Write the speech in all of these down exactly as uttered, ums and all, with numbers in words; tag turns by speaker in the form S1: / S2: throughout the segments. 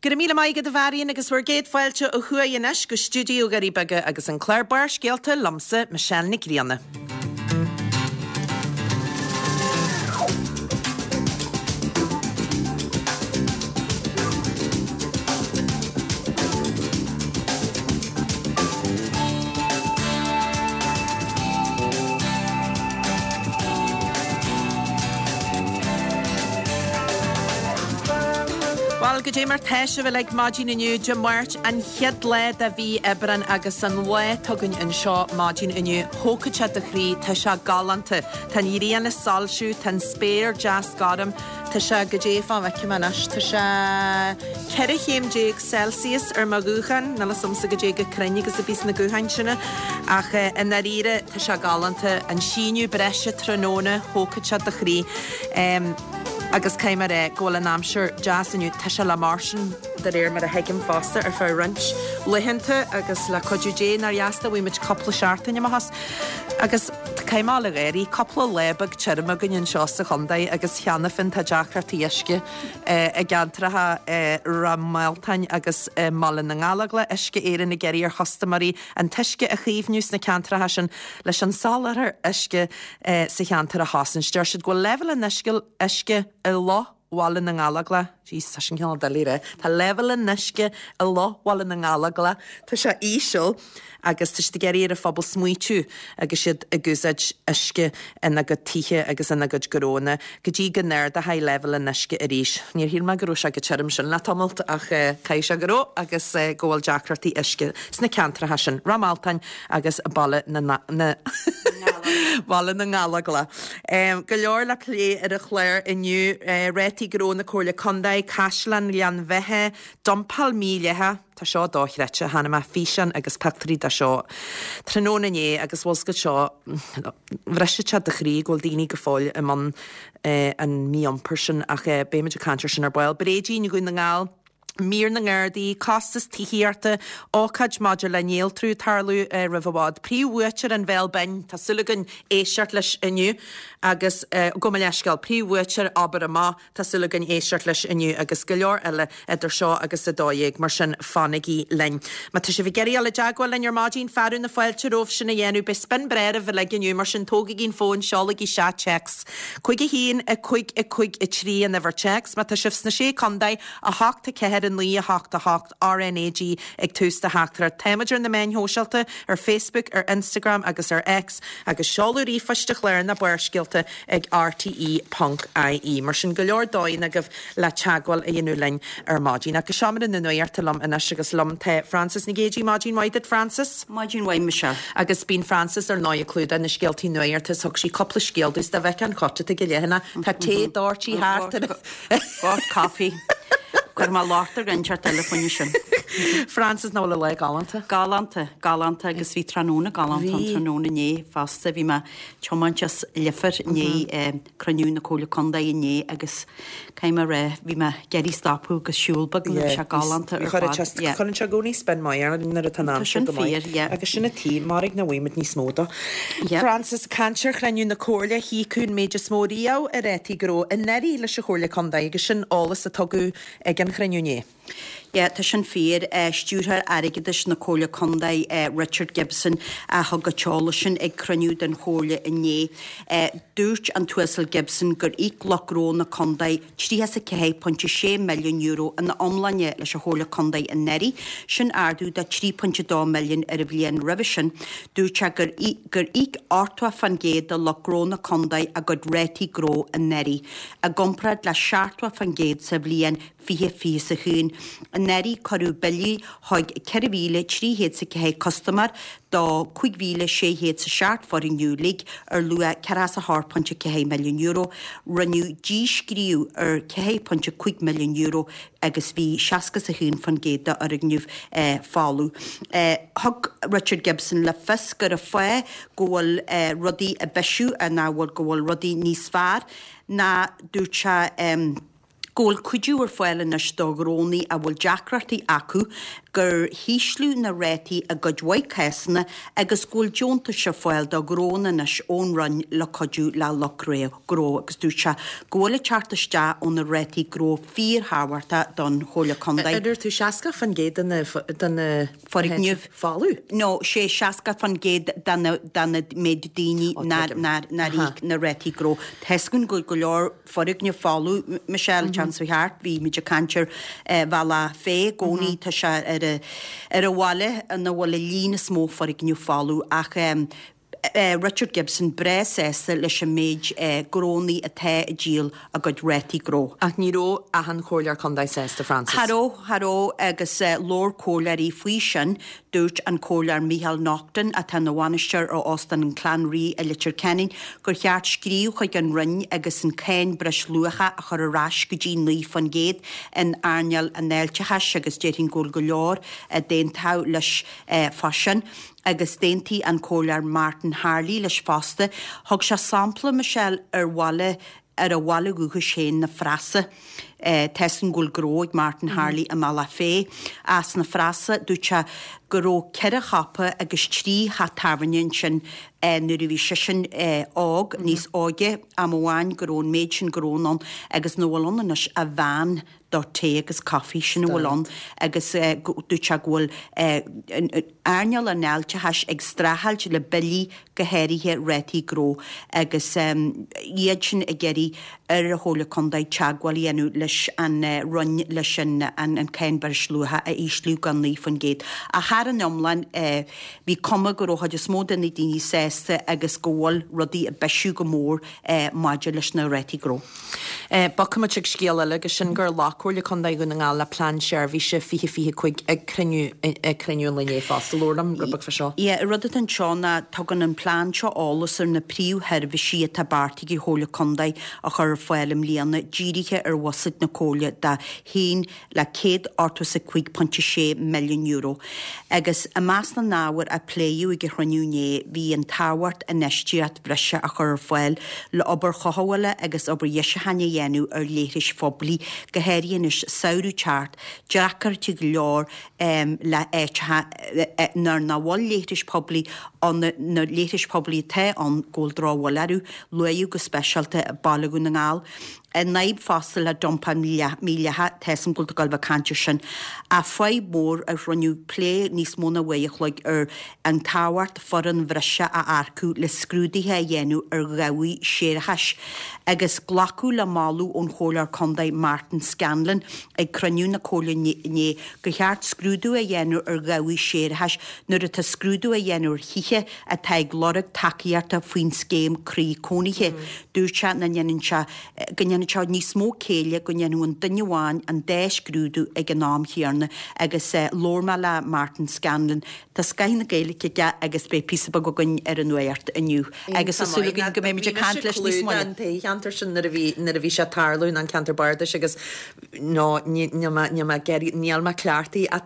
S1: Go raibh míle maith agat a Mharion agus bhur gcéad fáilte ó thuaidh anois go stiúideo Dhoirí Beaga agus an clár Barrscéalta liomsa Michelle Nic Grianna. Bhuel, goidé mar tá sibh uilig maidin inniu, Dé Máirt, an chéad lá de mhí Aibreán agus an lá atá againn anseo maidin inniu, thógfadh sé do chroí, tá sé galánta. Tá an ghrian ag soilsiú, tá an spéir deas gorm, tá sé, goidé fá bhfeicfidh mé anois, tá sé ceithre chéim déag Celsius ar mo ghuthán, níl fhios a'msa goidé chomh cruinn agus a bhíos na gutháin sin, ach i ndáiríre tá sé galánta. An síneadh breise tráthnóna, thógfadh sé do chroí. Agus caithfidh mé a rá go bhfuil an aimsir deas inniu, tá sé le mar sin de réir mar a thuigim fosta ar feadh roinnt laethanta agus le cuidiú Dé nár dheas dá bhfaighidh muid cúpla seachtain amach as. Agus caithfidh mé a ghabháil, cúpla lá beag tirim againn anseo sa chontae agus cheana féin tá deacrachtaí uisce i gceantracha Ráth Mealtain agus i mBaile na nGallóglach, Uisce Éireann ag iarraidh ar chustaiméirí an t-uisce a chaomhnú sna ceantracha sin leis an soláthar uisce sa cheantar a chosaint. Deir siad go bhfuil leibhéal an uisce i Loch Bhaile na nGallóglach, jeez, tá sin cineál doiligh a rá, tá leibhéal an uisce i Loch Bhaile na nGallóglach, tá sé íseal agus tá siad ag iarraidh ar an phobal smaoitiú agus iad ag úsáid uisce ina gcuid tithe agus ina gcuid gnónna go dtí go n-ardóidh leibhéal an uisce arís. Níor shíl mé go raibh sé chomh tirim sin le tamalt ach caithfidh sé go raibh agus go bhfuil deacrachtaí uisce sna ceantracha sin, Ráth Mealtain agus Baile na na Baile na nGallóglach. Go leor le plé ar an chlár inniu, rátaí gnó na Comhairle Contae, Caisleán Ghleann Bheatha, dumpáil mhídhleathach, tá seo dochreidte, chonaic mé físeán agus pictiúirí de seo tráthnóna inné agus bhfuil 's agat seo, bhrisfeadh sé do chroí go bhfuil daoine go fóill i mbun an mí-iompair sin ach beimid ag caint ar sin ar ball. Bréidín Dhún na nGall. Mír na nGardaí, costas tithíochta, ócáid maidir le néaltrú ag tarlú roimh i bhfad, príomhbhuaiteoir an Bhéal Binn, tá súil againn éisteacht leis inniu agus, gabh mo leithscéal, príomhbhuaiteoir Abair Amach, tá súil againn éisteacht leis inniu agus go leor eile idir seo agus a dó dhéag, mar sin fanaigí linn. Má tá sibh ag iarraidh dul i dteagmháil linn ar maidin, fearadh na fáilte romhaibh sin a dhéanamh, beidh spin breá oraibh uilig inniu, mar sin tógaigí an fón, seolaigí isteach téacs. Cúig a haon, a cúig, a cúig, a trí an uimhir téacs. Má tá sibh sna Sé Contae, a hocht, a ceathair, a naoi, a hocht, a hocht, RnaG ag tús do theachtaireacht. Táimid ar na meáin shóisialta, ar Facebook, ar Instagram agus ar X, agus seoladh ríomhphoist an chláir ná Barrscéalta ag rte ponc ie. Mar sin, go leor dóigheanna agaibh le teagmháil a dhéanamh linn ar maidin. Ach go seomra na nuachta liom anois agus liom tá Frances Nic Géadaigh. Maidin mhaith duit, Frances.
S2: Maidin mhaith, Michelle.
S1: Agus bíonn Frances ar ndóigh ag clúdach na scéaltaí nuachta is thug sí cúpla scéal domh 's dá bhfeicfeá an chut atá ag an leathanach, tá tae doirtí thart ar
S2: Gort caife. Cuir mé locht ar dhuine inteacht eile faoina sin.
S1: Frances, nach bhfuil an lá galánta?
S2: Galánta, galánta agus bhí tráthnóna galánta an tráthnóna inné fosta. Bhí mé ag tiomáint as Leifear inné, cruinniú na Comhairle Contae inné agus caithfidh mé a rá, bhí mé ag iarraidh stopadh agus siúl beag nó bhí sé galánta ar fad.
S1: Cuireann sé i gcónaí spin maith orainn nuair atá an aimsir go maith. Agus sin an tí, mairg nach bhfaighimid níos mó dó. Frances, caint ar chruinniú na Comhairle, híocadh an méid is mó riamh i rátaí gnó anuraidh leis an Chomhairle Contae agus sin eolas a tugadh ag an chruinniú inné.
S2: Yeah, tá sin fíor. Stiúrthóir Airgeadais na Comhairle Contae, Richard Gibson, a thug an t-eolas sin ag cruinniú den Chomhairle inné. Dúirt an tUasal Gibson gur íoc lucht gnó na contae tríocha is a ceathair pointe sé milliún euro ina iomláine leis an Chomhairle Contae anuraidh, sin ardú de trí pointe dó milliún ar an bhliain roimhe sin. Dúirt sé gur gur íoc ochtó fán gcéad de lucht gnó na contae a gcuid rátaí gnó anuraidh, i gcomparáid le seachtó fán gcéad sa bhliain fiche fiche is a haon. Anuraidh cuireadh billí chuig ceithre mhíle trí chéad is a ceathair custaiméir do cúig mhíle sé chéad is a seacht foirgneamh uilig ar luach ceathracha is a hocht pointe ceathair milliún euro. Rinneadh díscríobh ar ceathair pointe cúig milliún euro agus bhí seasca is a haon fán gcéad d'fhoirgnimh folamh. Thug Richard Gibson le fios gur an fáth go bhfuil rudaí ag bisiú ná go bhfuil rudaí níos fearr ná dúirt sé, go bhfuil cuidiú ar fáil anois do ghnónnaí a bhfuil deacrachtaí acu, gur hísliú na rátaí i gcuid mhaith cásanna agus go bhfuil deontais ar fáil do ghnónna anois ón Roinn le cuidiú le lucht gnó agus dúirt sé go bhfuil ag teacht isteach ó na rátaí gnó fíorthábhachtach don Chomhairle Contae.
S1: Ar dúirt tú seasca fan gcéad de na
S2: foirgnimh
S1: folamh?
S2: No, sé seasca fan gcéad de na méid daoine nár íoc na rátaí gnó. Tá 'fhios againn go bhfuil go leor foirgnimh folamh, Michelle, an tseachtain seo thart, bhí muid ag caint ar Bhealach Féich i gcónaí, tá sé ar ar an bhaile ina bhfuil an líon is mó foirgneamh folamh ach Richard Gibson breá sásta leis an méid gnónnaí atá ag díol a gcuid rátaí gnó.
S1: Ach ní raibh achan chomhairleoir contae sásta, Frances.
S2: Cha raibh, cha raibh agus labhair comhairleoirí faoi sin. Dúirt an Comhairleoir Micheál Naughton, atá ina bhainisteoir ar Óstán an Clann Rí i Leitir Ceanainn, gur cheart scríobh chuig an Roinn agus an cáin breisluacha a chur ar ais go dtí naoi faoin gcéad in earnáil an fháilteachais agus déarfainn go bhfuil go leor a d'aontódh leis fá sin. Agus d'aontaigh an Comhairleoir Martin Harley leis fosta. Thug sé sampla, Michelle, ar bhaile ar a bhaile dhúchais féin, na Frasa. Tá 'fhios againn go bhfuil gnó ag Martin Harley i mBealach Féich. As na Frasa, dúirt sé go raibh ceithre shiopa agus trí theach tábhairne ansin nuair a bhí seisean óg, níos óige, am amháin go raibh an méid sin gnónna ann agus nach bhfuil ann anois ach veain do tae agus caife, sin a bhfuil ann agus dúirt sé go bhfuil earnáil an fháilteachais ag streachailt le billí, go háirithe rátaí gnó agus iad sin ag iarraidh ar an Chomhairle Contae teagmháil a dhéanamh leis an Roinn leis an cáin breisluacha a ísliú go naoi faoin gcéad. Ach thar an iomlán bhí cuma go raibh chuid is mó de na daoine sásta agus go bhfuil rudaí ag bisiú go mór maidir leis na rátaí gnó.
S1: Bogfaimid chuig scéal eile agus sin gur ghlac Comhairle Contae Dhún na nGall le Plean Seirbhíse fiche fiche cúig ag cruinniú ag cruinniú an lae inné fosta. Labhair liom rud beag fá seo.
S2: Yeah, rud atá anseo ná tugann an plean seo eolas ar na príomhsheirbhísí atá beartaithe ag an Chomhairle Contae a chur ar fáil i mbliana, dírithe ar bhuiséad na Comhairle de haon le céad ochtó is a cúig pointe sé milliún euro. Agus i measc na n-ábhar a pléadh ag an chruinniú inné bhí an tábhacht infheistíocht bhreise a chur ar fáil le obair chothabhála agus obair dheisiúcháin a dhéanamh ar leithris phoiblí, go háirithe anois samhradh teacht, deacrachtaí go leor le áiteacha nuair nach bhfuil leithris poiblí ann, na leithris poiblí atá ann go bhfuil drochbhail orthu, luadh go speisialta Baile Dhún na nGall. An fhadhb fosta le dumpáil mhídhleathach, tá 'fhios a'm go bhfuil tú ag gabháil a bheith ag caint ar sin, ach fadhb mhór a rinneadh plé níos mó ná uair a chloig ar an tábhacht foireann bhreise a earcú le scrúduithe a dhéanamh ar dhabhaigh séarachais agus glacadh le moladh ón Chomhairleoir Contae Martin Scanlon ag cruinniú na Comhairle inné gur cheart scrúdú a dhéanamh ar dhabhaigh séarachais nuair atá scrúdú á dhéanamh ar thithe atá ag lorg tacaíochta faoin scéim Croí Cónaithe. Dúirt sé nach ndéanann sé go ndéanann sé níos mó céille go ndéanfadh an duine amháin an dá scrúdú ag an am chéanna agus labhair mé le Martin Scanlon. Tá scoth na Gaeilge aige agus beidh píosa beag againn ar an nuacht inniu agus tá súil againn go mbeimid ag caint leis níos moille.
S1: An ceantar sin nuair a bhí nuair a bhí sé ag tarlú an ceantar bardais agus no níl mé níl mé níl mé cleachtaithe ach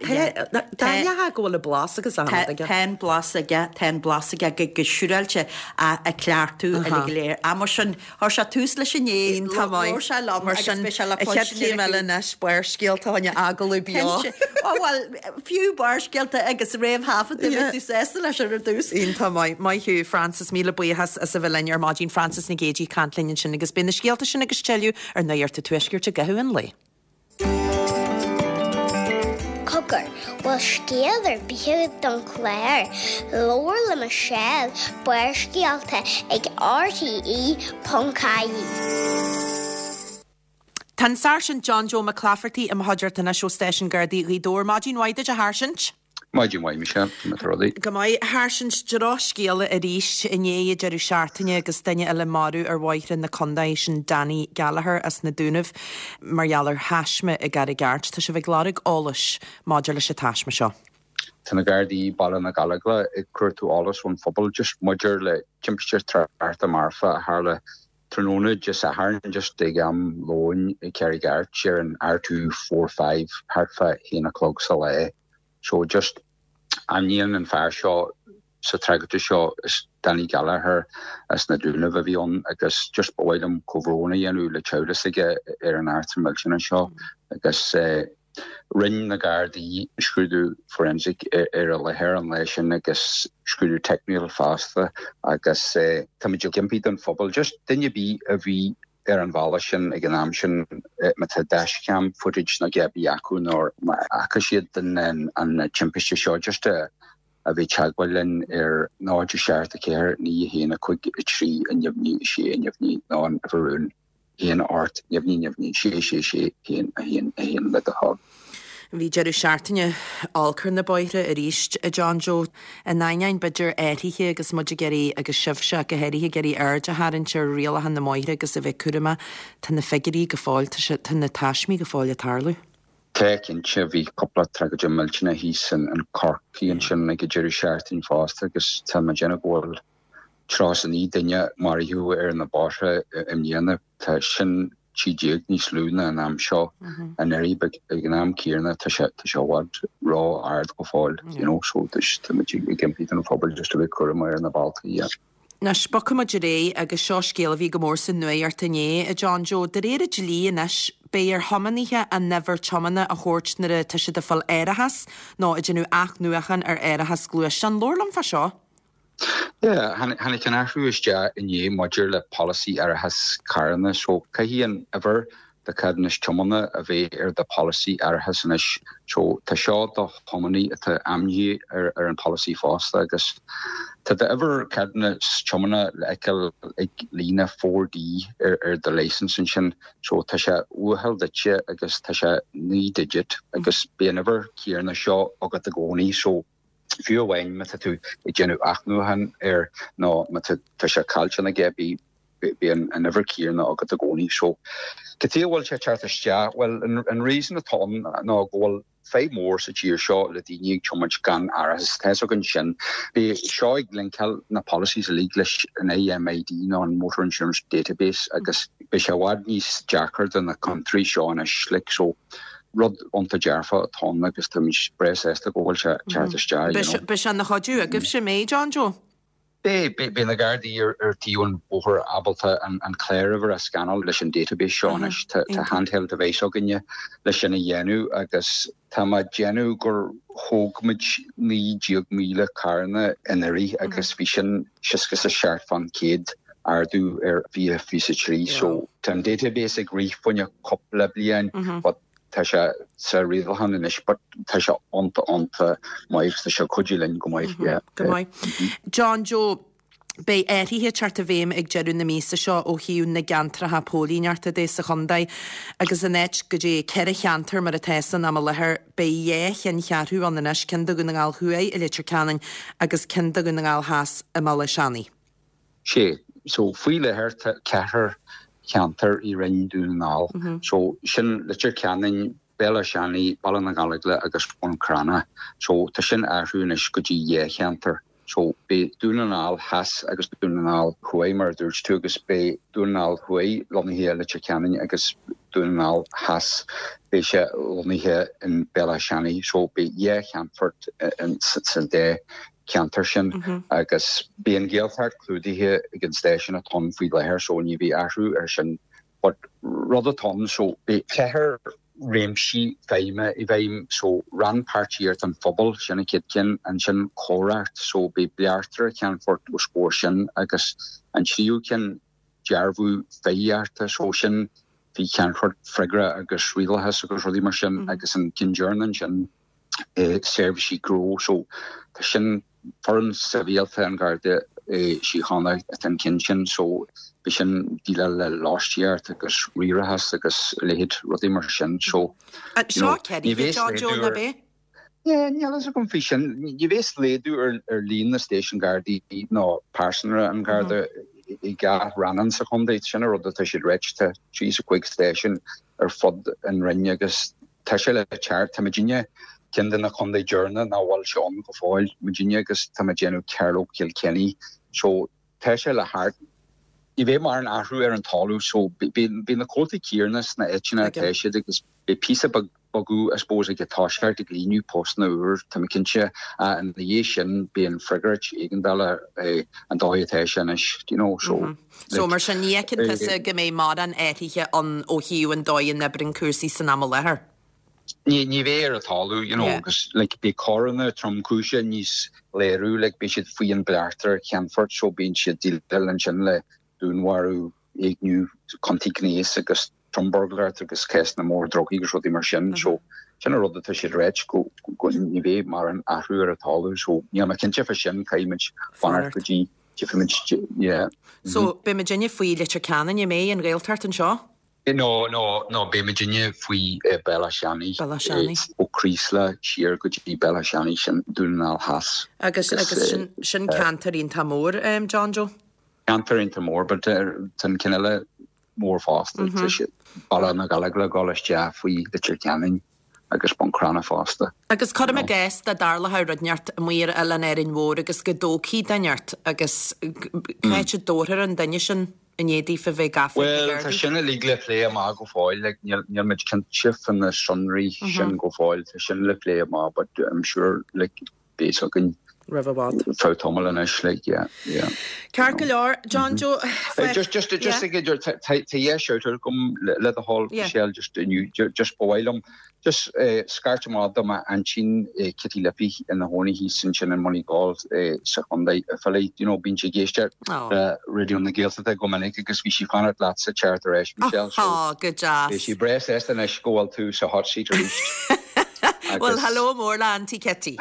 S1: tá tá go bhfuil an blas agus
S2: aige. Tá an blas aige tá an blas aige go go siúráilte a cleachtadh uilig go léir. Ach mar sin chuir sé tús leis inné
S1: Iontach maith.
S2: Labhair sé liom
S1: Mar
S2: agus
S1: sin
S2: beidh sé le
S1: an chéad
S2: cloistin
S1: chéim
S2: ar
S1: eile anois Barrscéalta fá choinne agallamh beo.
S2: Cinnte. Ó bhuel, fiú Barrscéalta agus réamhthaifeadta
S1: Yeah.
S2: bheadh tú sásta leis ar dtús.
S1: Iontach maith. Maith thú, Frances, míle buíochas as a bheith linn ar maidin. Frances Nic Géadaigh ag caint linn ansin agus beidh na scéalta sin agus tuilleadh ar Nuacht an Tuaiscirt i gcaitheamh an lae.
S3: Cogar, bhfuil scéal ar bith agat don chlár? Labhair le Michelle, Barrscéalta ag RTE ponc ie.
S1: Tá an Sáirsint John Joe McClafferty i mo chuideachta anois ó Stáisiún Gardaí Ghaoth Dobhair. Maidin mhaith duit a Sháirsint.
S4: Maidin mhaith Michelle, na rudaí.
S1: Go maith a Sháirsint drochscéala arís inné ag deireadh seachtaine agus duine eile marbh ar bhóithre na contae sin Danny Gallagher as na Dúnaibh mar gheall ar thaisme i gCarraig Airt. Tá sibh ag lorg eolais maidir leis an taisme seo.
S4: Tá na Gardaí Baile na Gallóglach ag cuartú eolas ón phobal just maidir le timpiste tráchta marfa a tharla tráthnóna Dé Sathairn just ag am lóin i Carraig Airt ar an R two four five thart fá haon a chlog sa lá. So just ainmníonn an fear seo sa tragóid seo is Danny Gallagher as na Dúnaibh a bhí ann agus just ba mhaith liom comhbhrón a dhéanamh le teaghlach s'aige ar an eachtra millteanach seo agus rinne na Gardaí scrúdú forensic ar an láthair an lá sin agus scrúdú teicniúil fosta agus táimid ag impí don phobal just duine ar bith a bhí ar an bhealach sin ag an am sin má tá dashcam footage nó a bith acu nó má fhaca siad an an timpiste seo just a a bheith ag teagmháil linn ar náid seacht a ceathair naoi a haon a cúig a trí a neamhní a sé a neamhní nó an uimhir rúin haon ocht neamhní neamhní sé sé sé haon a haon a haon le do thoil.
S1: Bhí deireadh seachtaine olc ar na bóithre arís a John Joe. In ainneoin b'fhéidir athruithe agus muid ag iarraidh agus sibhse go háirithe ag iarraidh aird a tharraingt ar rialacha na mbóithre agus a bheith cúramach, tá na figiúirí go fóill, tá na taismí go fóill ag tarlú.
S4: Tá cinnte bhí cúpla tragóid millteanach thíos in in Corcaigh ansin ag an deireadh seachtaine fosta agus tá mé ag déanamh go bhfuil tríocha is a naoi duine maraithe ar na bóithre i mbliana. Tá sin trí déag níos lú ná an am seo anuraidh but ag an am céanna tá sé tá sé i bhfad ró-ard go fóill you know so táimid ag impí don phobal just a bheith cúramach ar na bealtaí yeah.
S1: Anois bogfaidh muid ar aghaidh agus seo scéal a bhí go mór sa nuacht inné, a John Joe. De réir an dlí anois, beidh ar thiománaithe a n-uimhir tiomána a thabhairt nuair atá siad ag fáil árachas nó ag déanamh athnuachan ar árachas gluaisteán. Labhair liom fá seo.
S4: Yeah, tháinig an athrú isteach inné maidir le polasaí árachas carranna so caithfidh an uimhir do cheadúnas tiomána a bheith ar do polasaí árachas anois. So tá seo do thiománaí atá ainmnithe ar, ar an polasaí fosta agus tá d'uimhir ceadúnas tiomána le feiceáil ag líne four D ar, ar do licence ansin. So tá sé uathúil duitse agus tá sé naoi digit agus beidh an uimhir chéanna seo agat i gcónaí so fiú amháin má tá tú ag déanamh athnuachan air nó má tá sé caillte nó cibé beidh an an uimhir chéanna agat i gcónaí. So cad chuige a bhfuil sé teacht isteach, well an, an reason atá ann ná go bhfuil fadhb mór sa tír seo le daoine ag tiomáint gan árachas tá againn sin. Beidh seo ag linkáil na policies uilig leis an IMID nó an Motor Insurance Database agus beidh sé i bhfad níos deacra do na contúirtí seo anois like so rud iontach dearfach atá ann agus táimid breá sásta go bhfuil sé teacht isteach. you know.
S1: Beidh sé ina chuidiú agaibhse mé John Joe?
S4: Beidh beidh na Gardaí ar ar taobh an bhóthair ábalta an an cláruimhir a scannáil leis an database seo anois tá tá handheld device againne leis sin a dhéanamh agus tá mé ag déanamh gur thóg muid naoi déag míle carranna anuraidh agus bhí sin seasca is a seacht faoin gcéad ardú ar fiche fiche a trí so tá an database ag rith fá choinne cúpla bliain but tá sé sa rialachán anois but tá sé iontach iontach maith tá sé cuidiú linn go maith yeah.
S1: Go maith. John Joe, Beidh athruithe ag teacht i bhfeidhm ag deireadh na míosa seo ó thaobh na gceantracha póilíneachta de sa chontae agus in áit go dtí ceithre cheantar mar atá san am i láthair beidh dhá cheanncheathrú ann anois ceann do Dhún na nGall Thuaidh i Leitir Ceanainn agus ceann do Dhún na nGall Theas i mBaile Átha Seanaidh.
S4: Sé so faoi láthair tá ceathair cheantar i Roinn Dún na nGall. So sin Leitir Ceanainn, Béal Átha Seanaidh, Baile na Gallóglach agus Bun Cranncha. So tá sin athrú anois go dtí dhá cheantar. So beidh Dún na nGall Theas agus Dún na nGall Thuaidh mar a dúirt tú agus beidh Dún na nGall Thuaidh lonnaithe i Leitir Ceanainn agus Dún na nGall Theas beidh sé lonnaithe in Béal Átha Seanaidh. So beidh dhá cheannfort sa dá cheantar sin agus beidh an Ghaeltacht clúdaithe ag an stáisiún atá ann faoi láthair so ní bheidh athrú ar sin. But rud atá ann so beidh ceithre réimsí feidhme i bhfeidhm so rannpháirtíocht an phobal sin an chéad cheann ansin coireacht so beidh Beairtle ceannfort os comhair sin agus an tríú ceann dearbhú feidhmíochta so sin faoi cheannfort freagra agus rialachas agus rudaí mar sin agus an ceann deireanach sin eh, seirbhísí gnó so tá sin foireann sibhialta an Gharda eh, Síochána atá an ceann sin so beidh sin déileáil le lóistíocht agus riarachas agus leithéid rudaí mar sin so
S1: Seo ceithre John Joe na bé?
S4: Yeah, níl a fhios agam faoi sin ní bheas laghdú ar ar líon na stáisiún Gardaí nó pearsanra an Garda i gach rannán sa chontae sin an rud atá siad réit tá trí is a cúig stáisiún ar fud an roinn agus tá sé le teacht tá muidinne ceann de na contaetha deireanacha nach bhfuil sé ann go fóill muidinne agus tá muid déanamh Carlow Kilkenny so tá sé le teacht Ní bheidh mórán athrú ar an talamh so beidh na comhaltaí céanna sna áiteanna atá siad agus beidh píosa beag bogadh I suppose ag toiseacht ag líonadh postanna úr tá mé cinnte ina dhiaidh sin beidh an freagairt éigeandála an dóigh atá sé anois do you know so
S1: So mar sin ní fheiceann tusa go mbeidh mórán athraithe ann ó thaobh an dóigh a n-oibríonn cúrsaí san am i láthair?
S4: Ní ní bheidh ar an talamh you know agus like beidh coireanna tromchúise níos léiriú like beidh siad faoi an bpleachtaire Ceannfort so bíonn siad déileáil ansin le dúnmharú, éigniú, ciontaí gnéis agus trombuirgléireacht agus cásanna mór drugaí agus rudaí mar sin. So sin an rud atá siad ráit go go ní bheidh mórán athrú ar an talamh so níl mé cinnte fá sin caithfidh muid fanacht go dtí tchífidh muid yeah.
S1: So beidh muidinne faoi Leitir Ceanainn, an mbeidh an Ghaeltacht anseo?
S4: No, no, no, beidh muidinne faoi Béal Átha Seanaidh.
S1: Béal Átha Seanaidh.
S4: Ó Creeslough siar go dtí Béal Átha Seanaidh, sin Dún na nGall Theas.
S1: Agus, agus sin, sin ceantar iontach mór, John Joe?
S4: Ceantar iontach mór, but tá an ceann eile mór fosta, tá sé Baile na Gallóglach ag dul isteach faoi Leitir Ceanainn agus Bun Cranncha fosta.
S1: Agus cuirim i gcás dá dtarlódh rud inteacht amuigh ar Oileán Árainn Mhór agus go dtógfaí duine ort agus cá háit a dtabharfar an duine sin i ndiaidh daofa bheith gafa ag na
S4: Bhuel, tá
S1: Gardaí?
S4: sin uilig le plé amach go fóill, like, níl, níl muid cinnte fá na sonraí sin go fóill, tá sin le plé amach but I'm sure like, beidh a fhios againn
S1: roimh i bhfad.
S4: Feadh tamaill anois, like, yeah, yeah.
S1: Ceart go leor, John Joe.
S4: Just, just, just ag idir, tá dhá shout out agam le do thoil, Michelle, just inniu, just ba mhaith liom, just scairt amach do m'aintín Kitty Liffey ina chónaí thíos ansin in Moneygall sa chontae Offaly, you know, bíonn sí ag éisteacht le Raidió na Gaeltachta go minic agus bhí sí fanacht leatsa teacht ar ais, Michelle, so
S1: Ó, go deas.
S4: beidh sí breá sásta anois go bhfuil tú sa hot seat arís.
S1: Well, hello mór le Auntie Kitty.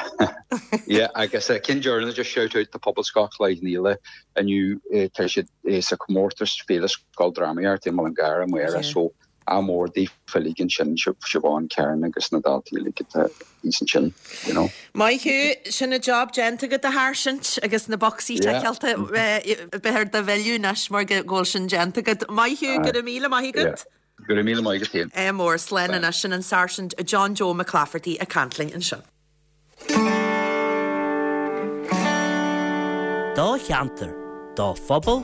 S4: Yeah, agus uh, ceann deireanach just shout out to Pobalscoil Chloich Cheann Fhaola inniu eh, tá siad eh, sa comórtas Féile Scoildrámaíochta i Mullingar amárach so ádh mór daofa uilig ansin Siobhán Karen agus na daltaí uilig atá thíos ansin, you know.
S1: Maith thú, sin an job déanta agat a sháirsint agus na bocsaí
S4: Yeah.
S1: ticeáilte beidh ort do mhilleadh anois mar go bhfuil sin déanta agat. Maith thú, go raibh míle maith agat.
S4: Yeah. Go raibh míle maith agat féin.
S1: Ádh mór slán anois sin an Sáirsint John Joe McClafferty ag caint linn ansin.
S5: Do cheantar, do phobal,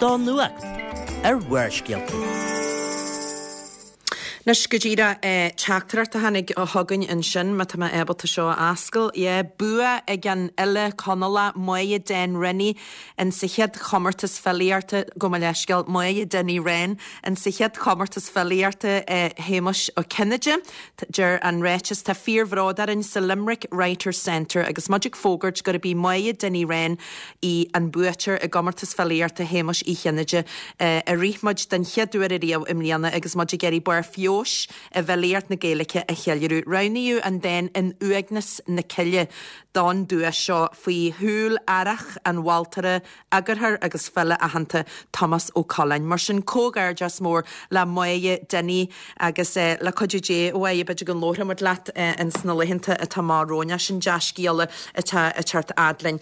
S5: do nuacht ar Bharrscéalta.
S1: Anois go díreach teachtaireacht a tháinig chugainn ansin má tá mé ábalta seo a oscailt. Yeah, bua ag an fhile Conallach Máire Den Rennie in sa chéad chomórtas filíochta gabh mo leithscéal Máire Dinny Wren in sa chéad chomórtas filíochta Shéamuis Ó Cinnéide. Deir an ráiteas tá fíorbhród orainn sa Limerick Writers Centre agus muid ag fógairt gurb í Máire Dinny Wren í an buaiteoir i gcomórtas filíochta Shéamuis Uí Chinnéide a rith muid den chéad uair ariamh i mbliana agus muid ag iarraidh barr feabhais i bhfilíocht na Gaeilge a cheiliúradh. Roghnaíodh an dán in Uaigneas na Cille don duais seo faoi shúil aireach an mholtóra, eagarthóir agus file aitheanta Tomás Ó Coileáin. Mar sin comhghairdeas mór le Máire Dinny agus le cuidiú Dé a Mháire b'fhéidir go labharfaidh muid leat ins na laethanta atá amach romhainn. Sin dea-scéala atá ag teacht fhad linn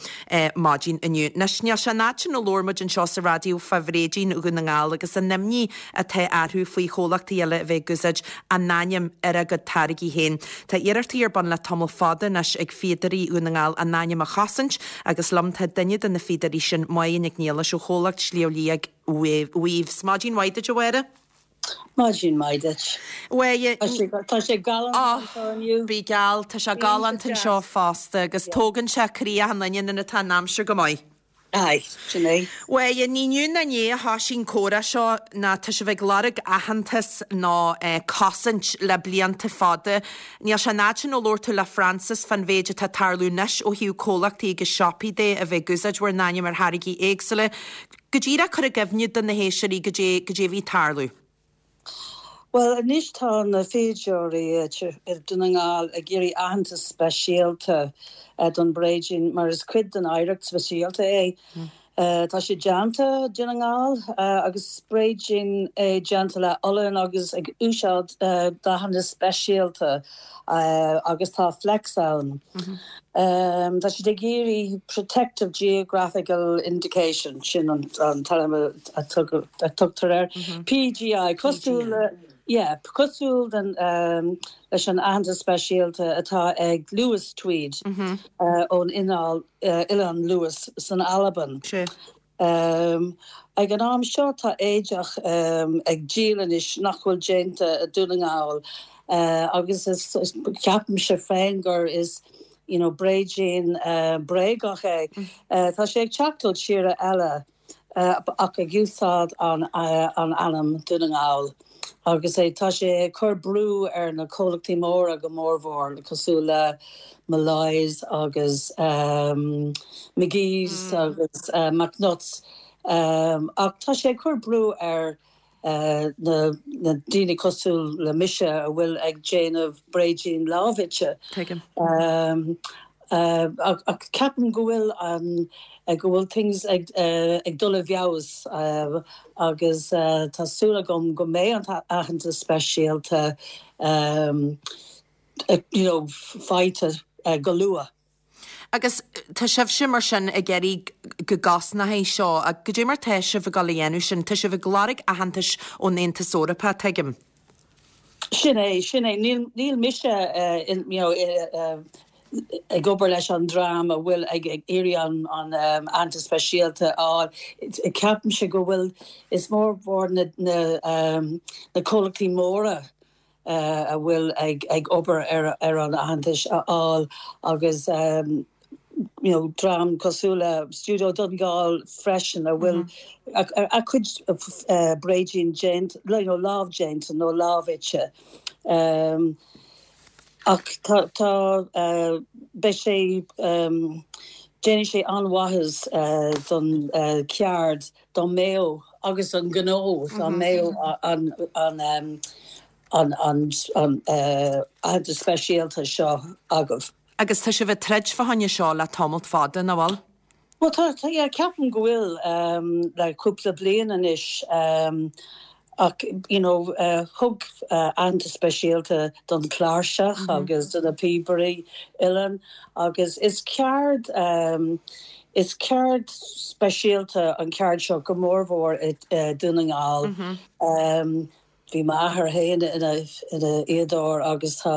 S1: maidin inniu. Anois níl sé an fhad sin ó labhair muid anseo sa raidió fá bhréidín Dhún na nGall agus an imní atá orthu faoi chomhlachtaí eile a bheith ag úsáid a n-ainm ar a gcuid táirgí féin. Tá iarrachtaí ar bun le tamall fada anois ag fíodóirí Dhún na nGall a n-ainm a chosaint agus liom tá duine de na fíodóirí sin Máire Nic Niallais ó chomhlacht Sliabh Liag Weaves. Maidin mhaith duit a Mháire.
S6: Maidin mhaith duit.
S1: Mháire
S6: Tá sé galánta anseo inniu.
S1: Bí geal, tá sé galánta anseo fosta agus tógann sé croí achan duine nuair atá an aimsir go maith.
S6: Aye, sin é.
S1: Mháire, ní inniu ná inné a thosaigh an comhrá seo ná tá sibh ag lorg aitheantas nó cosaint le blianta fada. Níl sé an fhad sin ó labhair tú le Francis fán mhéid atá ag tarlú anois ó thaobh comhlachtaí agus siopaí de a bheith ag úsáid bhur n-ainm ar tháirgí éagsúla. Go díreach cur i gcuimhne do na héisteoirí goidé goidé a bhí ag tarlú.
S6: Well, anois tá na fíodóirí i Dún na nGall ag iarraidh aitheantas speisialta don bhréidín mar is cuid den oidhreacht speisialta é. Tá sé déanta Dún na nGall agus bréidín é déanta le olann agus ag úsáid dathanna speisialta agus tá flecks ann. Tá siad ag iarraidh Protective Geographical Indication sin an t-ainm a tugtar air. PGI cosúil le yeah, cosúil den leis an aitheantas speisialta atá ag Lewis Tweed ón oileán Lewis san Albain. Um, ag an am seo tá éideach um, ag díol anois nach bhfuil déanta i Dún na nGall uh, agus is, is ceapaimse féin gur is you know, bréidín uh, bréagach é. Mm. Uh, tá sé ag teacht ó tíortha eile uh, ach ag úsáid an, uh, an ainm Dún na nGall. Agus é tá sé cur brú ar na comhlachtaí móra go mórmhór cosúil le Molloy's agus um, McGee's mm. agus uh, McNutt's um, ach tá sé cur brú ar uh, na, na daoine cosúil le mise a bhfuil ag déanamh bréidín lámhfhite. Um, uh, ach ceapaim go bhfuil an go bhfuil things ag, uh, ag dul i bhfeabhas uh, agus uh, tá súil agam go mbeidh an aitheantas speisialta um, uh, you know, faighte uh, go luath.
S1: Agus tá sibhse mar sin ag iarraidh go gcosnófaí seo, a go dé mar tá sibh ag dul a dhéanamh sin, tá sibh ag lorg aitheantais ón Aontas Eorpach tuigim.
S6: Sin é sin é níl, níl mise uh, in, you know, uh, ag obair leis an dream a bhfuil ag ag iarraidh an an um, aitheantas speisialta á ceapaimse go bhfuil is mór mhór na na, um, na comhlachtaí móra uh, a bhfuil ag ag obair ar ar an aitheantas a fháil agus um, you know, dream cosúil le Studio Donegal freisin a bhfuil mm -hmm. a, a cuid uh, bréidín déanta you know, lámhdhéanta nó lámhfhite. Um, ach tá tá uh, beidh sé um, déanfaidh sé an-mhaitheas uh, don uh, ceard don mbeadh agus an gnó mm -hmm. mbeadh an an um, an an an uh, an speisialta seo agaibh.
S1: Agus tá sibh ag troid fá choinne seo le tamall fada nach bhfuil?
S6: Well tá tá ceapaim go bhfuil um, le cúpla bliain anois um, ach you know uh, thug uh, aitheantas speisialta don chláirseach mm -hmm. agus do na píobairí uilleann agus is ceard um, is ceard speisialta an ceard seo go mórmhór i uh, Dún na nGall. Mm -hmm. um, Bhí m'athair féin ina ina fhíodóir agus tá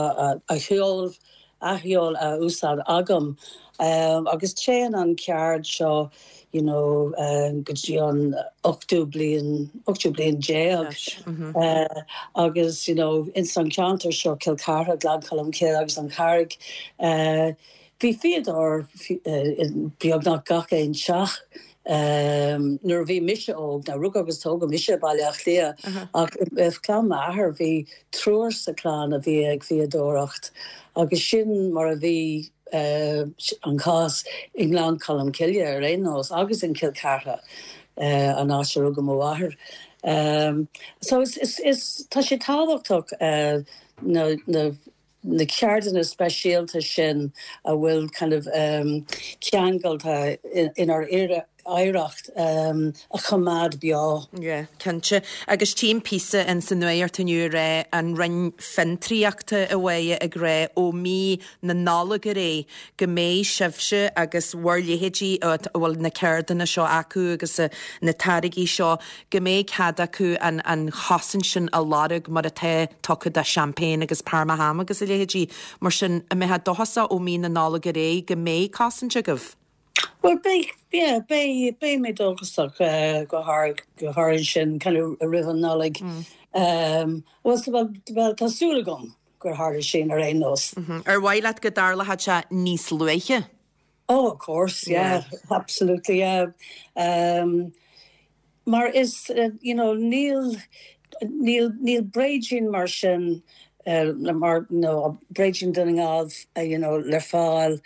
S6: a cheol a cheol a úsáid agam. Um, agus téann an ceard seo you know, um, go dtí an ochtú bliain ochtú bliain déag
S1: mm -hmm.
S6: uh, agus you know, ins an ceantar seo Cill Chartha Gleann Cholm Cille agus an Charraig uh, bhí fíodóir uh, beagnach gach aon teach. Um, nuair bhí mise óg na rugadh agus tógadh mise Baile Átha Cliath uh -huh. ach uh, clann m'athar bhí triúr sa chlann a bhí ag fíodóireacht agus sin mar a bhí uh, an cás i nGleann Cholm Cille ar aon nós agus in Cill Chartha uh, an áit ar rugadh m'athair. Um, so is, is, is tá sé tábhachtach uh, na, na na ceardanna speisialta sin a bhfuil kind of um, ceangailte inár oidhreacht um, a choimeád beo.
S1: Yeah, cinnte. Agus tím píosa in san nuacht inniu ré an Roinn Fiontraíochta a bheith ag rá ó mí na Nollag ar aghaidh go mbeidh sibhse agus bhur leithéidí a bhfuil na ceardanna seo acu agus na táirgí seo go mbeidh cead acu an, an chosaint sin a lorg mar atá tugtha do champagne agus Parma ham agus a leithéidí mar sin an mbeidh dóchasach ó mí na Nollag ar aghaidh go mbeidh cosaint agaibh.
S6: Well beidh yeah, beidh beidh mé dóchasach uh, go har go har sin kind of roimh an Nollaig. Mm. Um, well, well, well, tá súil agam gur tharla sin ar aon nós.
S1: Mm -hmm. Ar mhaith leat go dtarlódh sé níos luaithe?
S6: Oh, of course, yeah, yeah. absolutely, yeah. Um, mar is, uh, you know, níl níl níl bréidín mar sin uh, mar no bréidín Dhún na nGall uh, you know, le fáil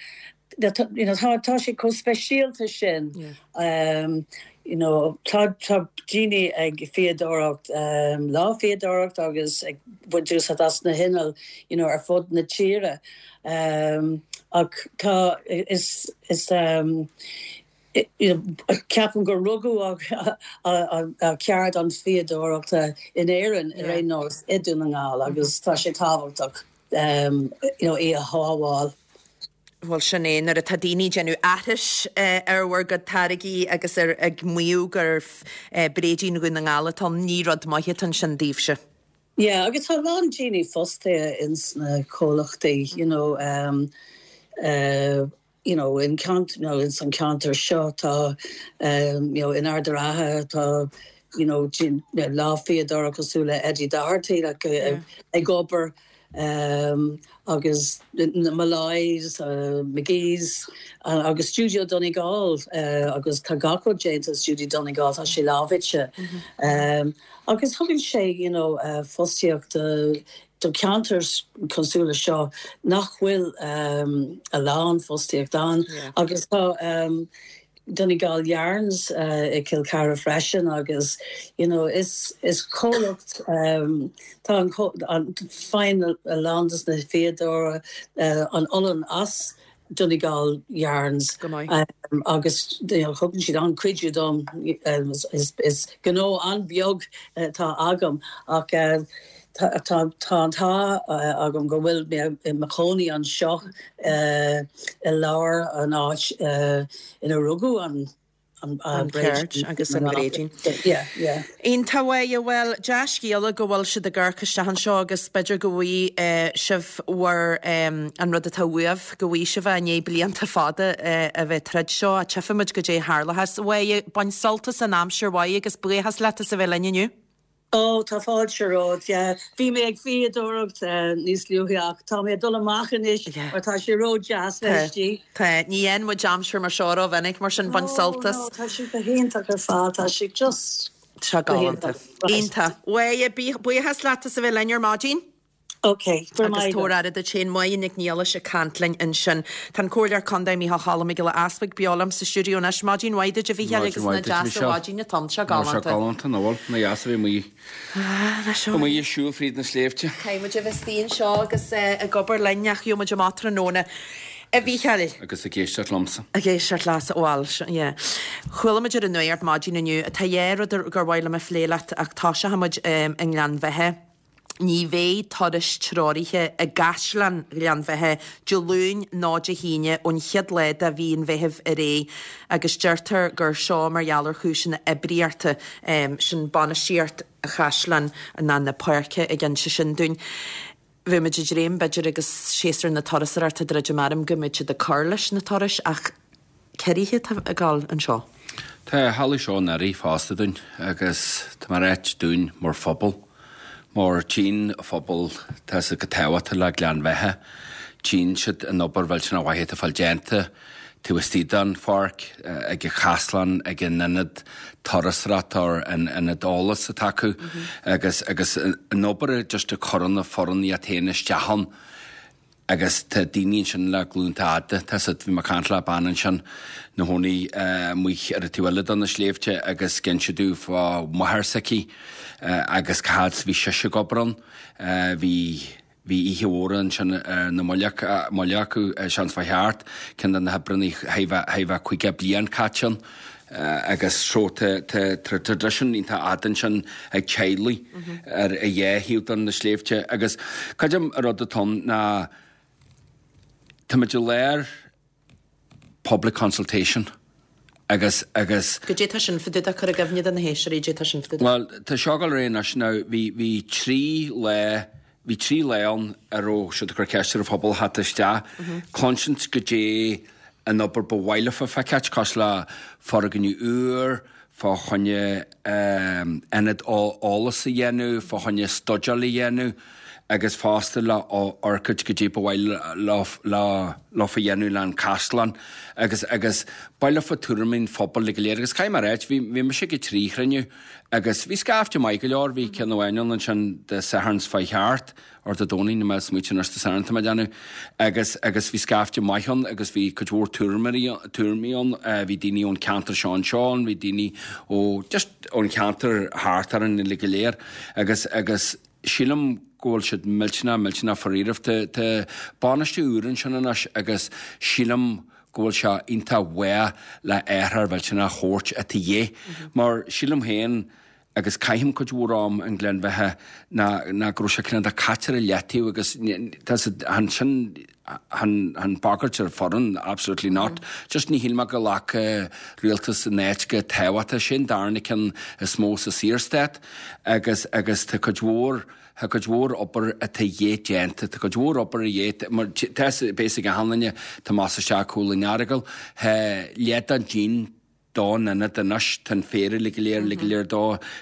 S6: you know, tá tá sé chomh speisialta sin yeah. um, you know, tá tá daoine ag fíodóireacht um, lámhfhíodóireacht agus ag baint úsáid as na hinnill you know, ar fud na tíre. Um, ach tá is is um, ceapaim gur rugadh ceard an fhíodóireachta in Éirinn ar aon nós i Dún na nGall agus tá sé tábhachtach um, you know, é a shábháil.
S1: Bhuel sin é nuair atá daoine ag déanamh aithris uh, ar bhur gcuid táirgí agus ar ag maíomh gur uh, bréidín Dhún na nGall atá ní rud maith ansin daoibhse.
S6: Yeah, agus tá lán daoine fostaithe ins na comhlachtaí, you know, um, uh, you know in ceant you know in san ceantar seo tá um, you know in Ard an Rátha tá you know lámhfhíodóir cosúil le Eddie Doherty like, yeah. ag obair um, agus na Malays, uh, McGee's uh, agus Studio Donegal uh, agus tá gach rud déanta Studio Donegal tá sé lámhite. Mm -hmm. um, agus thugann sé you know, uh, fostaíocht uh, do ceantar cosúil le seo nach bhfuil um, a lán fostaíocht ann yeah. agus tá um, Donegal Yarns uh, i Cill Chartha freisin agus you know, is is comhlacht um, tá an faigheann a lán des na fíodóirí uh, an olann as Donegal Yarns um, agus you know, thugann siad an cuidiú dom um, is, is gnó an-bheag uh, tá agam ach uh, tá tá tá agam go bhfuil mé i mo chónaí anseo i lár an áit ina rugadh an
S1: an cheird agus an bhréidín.
S6: Iontach
S1: bhuel dea-scéala go bhfuil siad ag amharc isteach anseo agus b'fhéidir go bhfaighidh sibh bhur an rud atá uaibh go bhfaighidh sibh i ndiaidh blianta fada a bheith tríd seo a tchífimid goidé a tharlós. Bhuel bain sult as an aimsir mhaith agus buíochas leat as a bheith linn inniu.
S6: Ó tá fáilte romhat yeah. Bhí mé ag fíodóireacht uh, níos luaithe ach tá mé dul amach anois mar tá sé ródheas istigh.
S1: Tá ní fhaigheann muid aimsir mar seo rómhinic mar sin bain sult as.
S6: Tá sé go hiontach ar fad tá sé just
S1: Tá galánta. Iontach. Bhuel buíochas leat as a bheith linn ar maidin?
S6: Ok,
S1: agus tabhair aire duit féin Máire Nic Niallais ag caint linn ansin. Tá an Comhairleoir Contae Mícheál Cholm Mac Giolla Easbuig beo liom sa stiúideo anois. Maidin mhaith duit a Mhícheáil agus nach deas an mhaidin atá ann sé galánta.
S7: Sé galánta nach bhfuil nach deas a bheith amuigh amuigh ag siúl fríd na sléibhte.
S1: Caithfidh muid a bheith istigh anseo agus ag obair linn ach gheobhaidh muid amach tráthnóna. A Mhícheáil.
S7: Agus ag éisteacht liomsa.
S1: Ag éisteacht leatsa bhuel, yeah. Chuala muid ar an nuacht maidin inniu atá dhá rud gur mhaith liom a phlé leat ach tosóidh muid i nGleann Bheatha. Ní bheidh turais treoraithe i gCaisleán Ghleann Bheatha Dé Luain ná Dé hAoine ón chéad lá de mhí an Mheithimh ar aghaidh agus deirtear gur seo mar gheall ar chúiseanna oibríochta sin bainistíocht chaisleán ná na páirce ag inse sin dúinn. Bheadh muid ag dréim b'fhéidir agus séasúr na turasóireachta ag druidim orm go mbeadh siad ag cur leis na turais ach ciorruithe atá ag dul anseo.
S7: Tá halla seo in Earraí fosta dúinn agus tá mar áit dúinn mar phobal. Mar tchíonn an phobal tá sé go tábhachtach le Gleann Bheatha. Tchíonn siad an obair mhillteanach mhaith atá fáil déanta taobh istigh den pháirc, ag an chaisleán, ag an ionad turasóireachta or an ionad eolais atá acu agus agus an obair just a chuireann na foireann iad féin isteach ann. Agus tá daoine ansin le glúnta fhada, tá siad, bhí mé ag caint le bean ansin 'na chónaí amuigh ar an taobh eile de na sléibhte agus d'inis sí domh fá mháthair s'aici agus cá fhad is bhí sise ag obair ann. Bhí, bhí oíche mhór ansin ar na mullaigh acu, seans fá cheart, ceann de na hoibreanna thar bheith caoga bliain caite ann. Agus so tá traidisiún iontach fhada ansin ag teaghlaigh ar a dhá thaobh de na sléibhte. Agus creidim an rud atá ann ná táimid i lár public consultation agus agus.
S1: Goidé tá sin fá dtaobh de, cuir i gcuimhne do na héisteoirí goidé tá sin fá dtaobh de.
S7: Bhuel, tá seo ag dul ar aghaidh anois now, bhí bhí trí lá, bhí trí lá ann a raibh siad ag cur ceist ar an phobal theacht isteach, cluinsint goidé an obair ba mhaith leofa feiceáilt, cosúil le foirgneamh úr, fá choinne ionad eolais a dhéanamh, fá choinne studáil a dhéanamh agus fosta le amharc goidé ba mhaith leofa dhéanamh le an caisleán agus agus ba mhaith leofa tuairimí an phobail go léir agus caithfidh mé a ráit, bhí bhí mise ag trí chruinniú agus bhí scaifte maith go leor, bhí ceann amháin ann ansin Dé Sathairn seo chuaigh thart, or Dé Domhnaigh, níl mé ag smaoitiú anois Dé Sathairn tá mé ag déanamh, agus agus bhí scaifte maith ann agus bhí cuid mhór tuairmeoirí tuairimí ann, bhí daoine ón cheantar seo anseo ann, bhí daoine ó just ón cheantar thart orainn uilig go léir agus agus sílim go bhfuil siad millteanach millteanach faraor. Tá tá bainistiú úr ansin anois agus sílim go bhfuil sé iontach mhaith le athrú millteanach a thabhairt a dhíth mar sílim féin agus caithim cuid mhór am i nGleann Bheatha ná ná go raibh sé cineál de caite ar leataobh agus tá an sin an an bagairt ar foireann absolutely not. Just ní shíl mé go ghlac rialtas an áit go tábhachtach sin darna ceann is mó sa Saorstát agus agus tá cuid mhór Tá cuid mhór obair atá dhé déanta, tá cuid mhór obair a dhé mar tá basic a hanlaine tá más isteach cúl an Earagail, tá leath den díon don ionad anois, tá an féar uilig go léir, uilig go léir dó,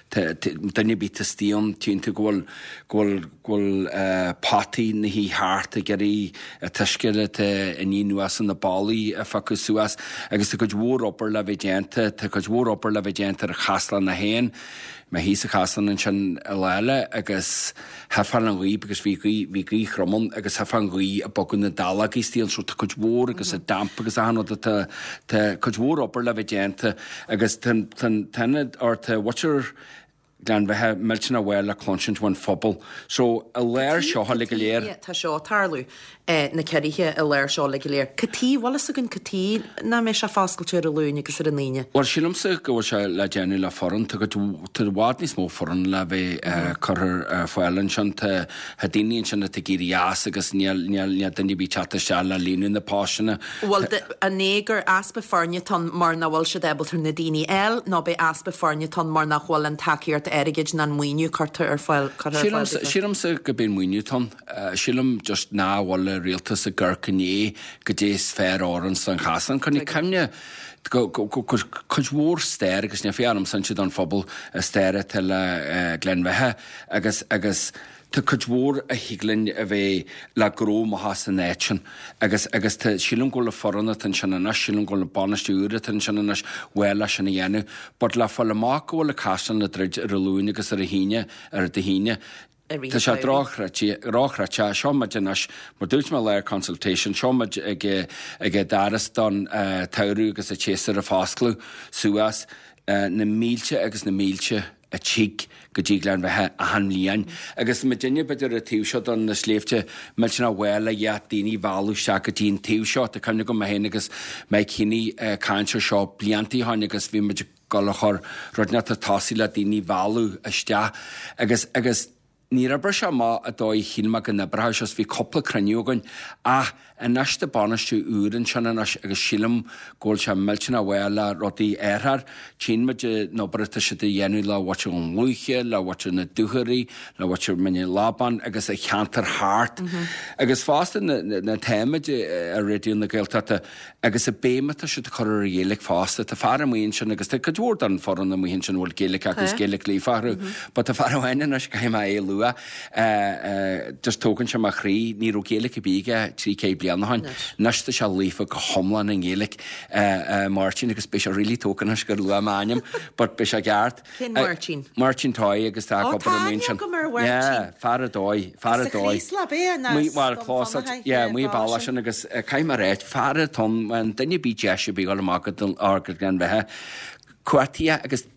S7: duine ar bith istigh ann, tchíonn tú go bhfuil, go bhfuil, go bhfuil potaí na thí thart ag iarraidh an t-uisce atá ag ní anuas na ballaí a phiocadh suas agus tá cuid mhór obair le bheith déanta, tá cuid mhór obair le bheith déanta ar an chaisleán é féin. Mé thíos sa chaisleán ansin lá eile agus theifeá an ghaoth because bhí gaoth, bhí gaoth throm ann agus theifeá an ghaoth ag bogadh na dallógaí istigh ann so tá cuid mhór agus an damp agus achan rud atá, tá cuid mhór obair le bheith déanta agus tá an, tá an t-ionad or tá mhuintir Ghleann Bheatha millteanach mhaith le cluinsint ón phobal. So i lár seo uilig go léir.
S1: Tá seo ag tarlú. Na ciorruithe i lár seo uilig go léir. Cad chuige, bhfuil fhios againn cad chuige nach mbeidh sé foscailte ar an Luan agus ar an Aoine?
S7: Bhuel, sílimse go bhfuil sé le déanamh le foireann. Tá cuid, tá i bhfad níos mó foireann le bheith curtha ar fáil ansin. Tá, tá daoine ansin atá ag éirí as agus níl, níl, níl duine ar bith teacht isteach le líonadh na postanna.
S1: Bhuel, an é gur easpa foirne atá ann mar nach bhfuil siad ábalta na daoine a fháil nó b'é easpa foirne atá ann mar nach bhfuil an tacaíocht airgid ná an maoiniú curtha ar fáil, curtha ar fáil
S7: Sílimse, sílimse go b'é an maoiniú atá ann. Sílim just ná bhfuil an rialtas ag amharc i ndiaidh goidé is fearr oireann don chaisleán. Coinnigh cuimhne go cuid mhór stair agus ní féidir ormsa don phobal a stair atá le Gleann Bheatha agus agus tá cuid mhór a thig linn a bheith le gnó maith san áit sin agus agus tá sílim go bhfuil foireann atá ansin anois, sílim go bhfuil bainistiú úr atá ansin anois bhuel leis sin a dhéanamh. But le fáil amach go bhfuil an caisleán le druid ar an Luan agus ar an hAoine ar an hAoine, Tá sé drochchreidte, seo muid anois, mar dúirt mé lá consultation, seo muid ag ag an doras don tsamhradh agus an tséasúr a foscladh suas na mílte agus na mílte a tig go dtí Gleann Bheatha achan mbliain. Agus muidinne b'fhéidir ar an taobh seo don na sléibhte millteanach mhaith le dhá daoine a mhealladh isteach go dtí an taobh seo. Tá cuimhne agam mé féin agus Mike Heaney ag caint ar seo blianta ó shin agus bhí muid ag dul a chur rud inteacht ar tosaigh le daoine a mhealladh isteach agus agus níor oibrigh sé amach an dóigh a shíl mé go n-oibreodh sé, bhí cúpla cruinniú againn ach anois tá bainistiú úr ansin anois agus sílim go bhfuil sé millteanach mhaith le rudaí a athrú. Tchíonn muid an obair atá siad a dhéanamh le mhuintir Dhún Lúiche, le mhuintir na Dúchoraidh, le mhuintir Mhín Lobáin agus a cheantar thart. Agus fosta na na táimid ar Raidió na Gaeltachta agus an béim atá siad a chur ar an Ghaeilge fosta. Tá fear amuigh ansin agus tá cuid mhór den foireann amuigh ansin a bhfuil Gaeilge acu agus Gaeilge líofa acu. But tá fear amháin anois, caithfidh mé é a lua, just tógann sé mo chroí, ní raibh Gaeilge ar bith aige trí chéad bliain ó shin. Anois tá sé líofa go hiomlán i nGaeilge, Máirtín, agus beidh sé really tógtha anois gur luaigh mé a ainm, but beidh sé ceart.
S1: Cén Máirtín?
S7: Máirtín Toy agus tá ag
S1: Ó,
S7: obair
S1: tá
S7: amuigh
S1: aithne
S7: ansin.
S1: agam ar Mháirtín.
S7: Yeah, fear ar dóigh, fear ar
S1: Sa
S7: dóigh.
S1: Chraoslach, ab ea? Nó
S7: Amuigh, bhuel,
S1: Scoil
S7: clós,
S1: Fhionnachaidh,
S7: yeah,
S1: yeah,
S7: amuigh
S1: bá
S7: bealach
S1: sin.
S7: sin agus caithfidh mé a ráit, fear atá ann, an duine ar bith deis ar bith dul amach go dtí ár go Gleann Bheatha, cuartaithe agus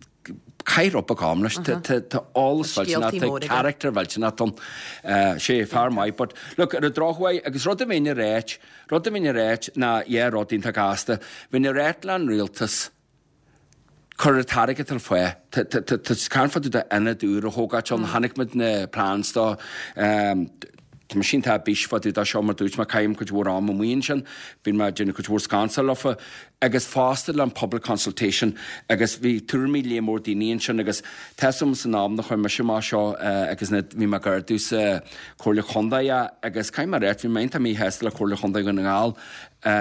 S7: caith rud beag am leis, tá tá tá eolas
S1: Tá
S7: mhillteanach,
S1: scéaltaí
S7: tá
S1: mór aige.
S7: character mhillteanach ann. Sé, fear maith, but look, ar an drochuair, agus rud a bheinn a ráit, rud a bheinn a ráit ná, yeah, rud iontach gasta, bheinn a ráit le an rialtas, cuir an t-airgead ar fáil. Tá tá tá tá caint fá dtaobh d'ionad úr a thógáil ann, chonaic muid na plans dó, tá mé iontach ar bís fá dtaobh de seo mar dúirt mé caithim cuid mhór am amuigh ansin, bíonn mé ag déanamh cuid mhór scansáil leofa agus fosta le an public consultation agus bhí tuairimí léar mór daoine ansin agus tá 'fhios a'm san am nach chuir mise amach seo agus na bhí mé ag ardú sa Comhairle Chontae agus caithfidh mé a ráit bhí mé iontach míshásta le Comhairle Chontae Dhún na nGall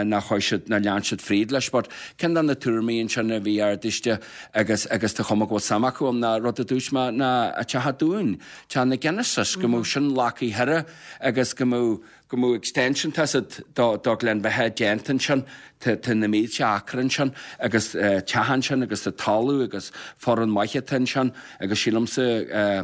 S7: nach chuaigh siad, nár lean siad fríd leis but ceann de na tuairimí ansin a bhí ardaiste agus agus tá chuma go bhfuil suim acu ann ná rud a dúirt mé ná a Teach Dúin, Teach na Genesis, go mbeadh sin leagtha thoir agus go mbeadh go mbeadh extension tá 'fhios a'd do do Ghleann Bheatha déanta ansin, tá tá na mílte acra ansin agus teach ansin agus tá talamh agus foireann maith atá ansin agus sílimse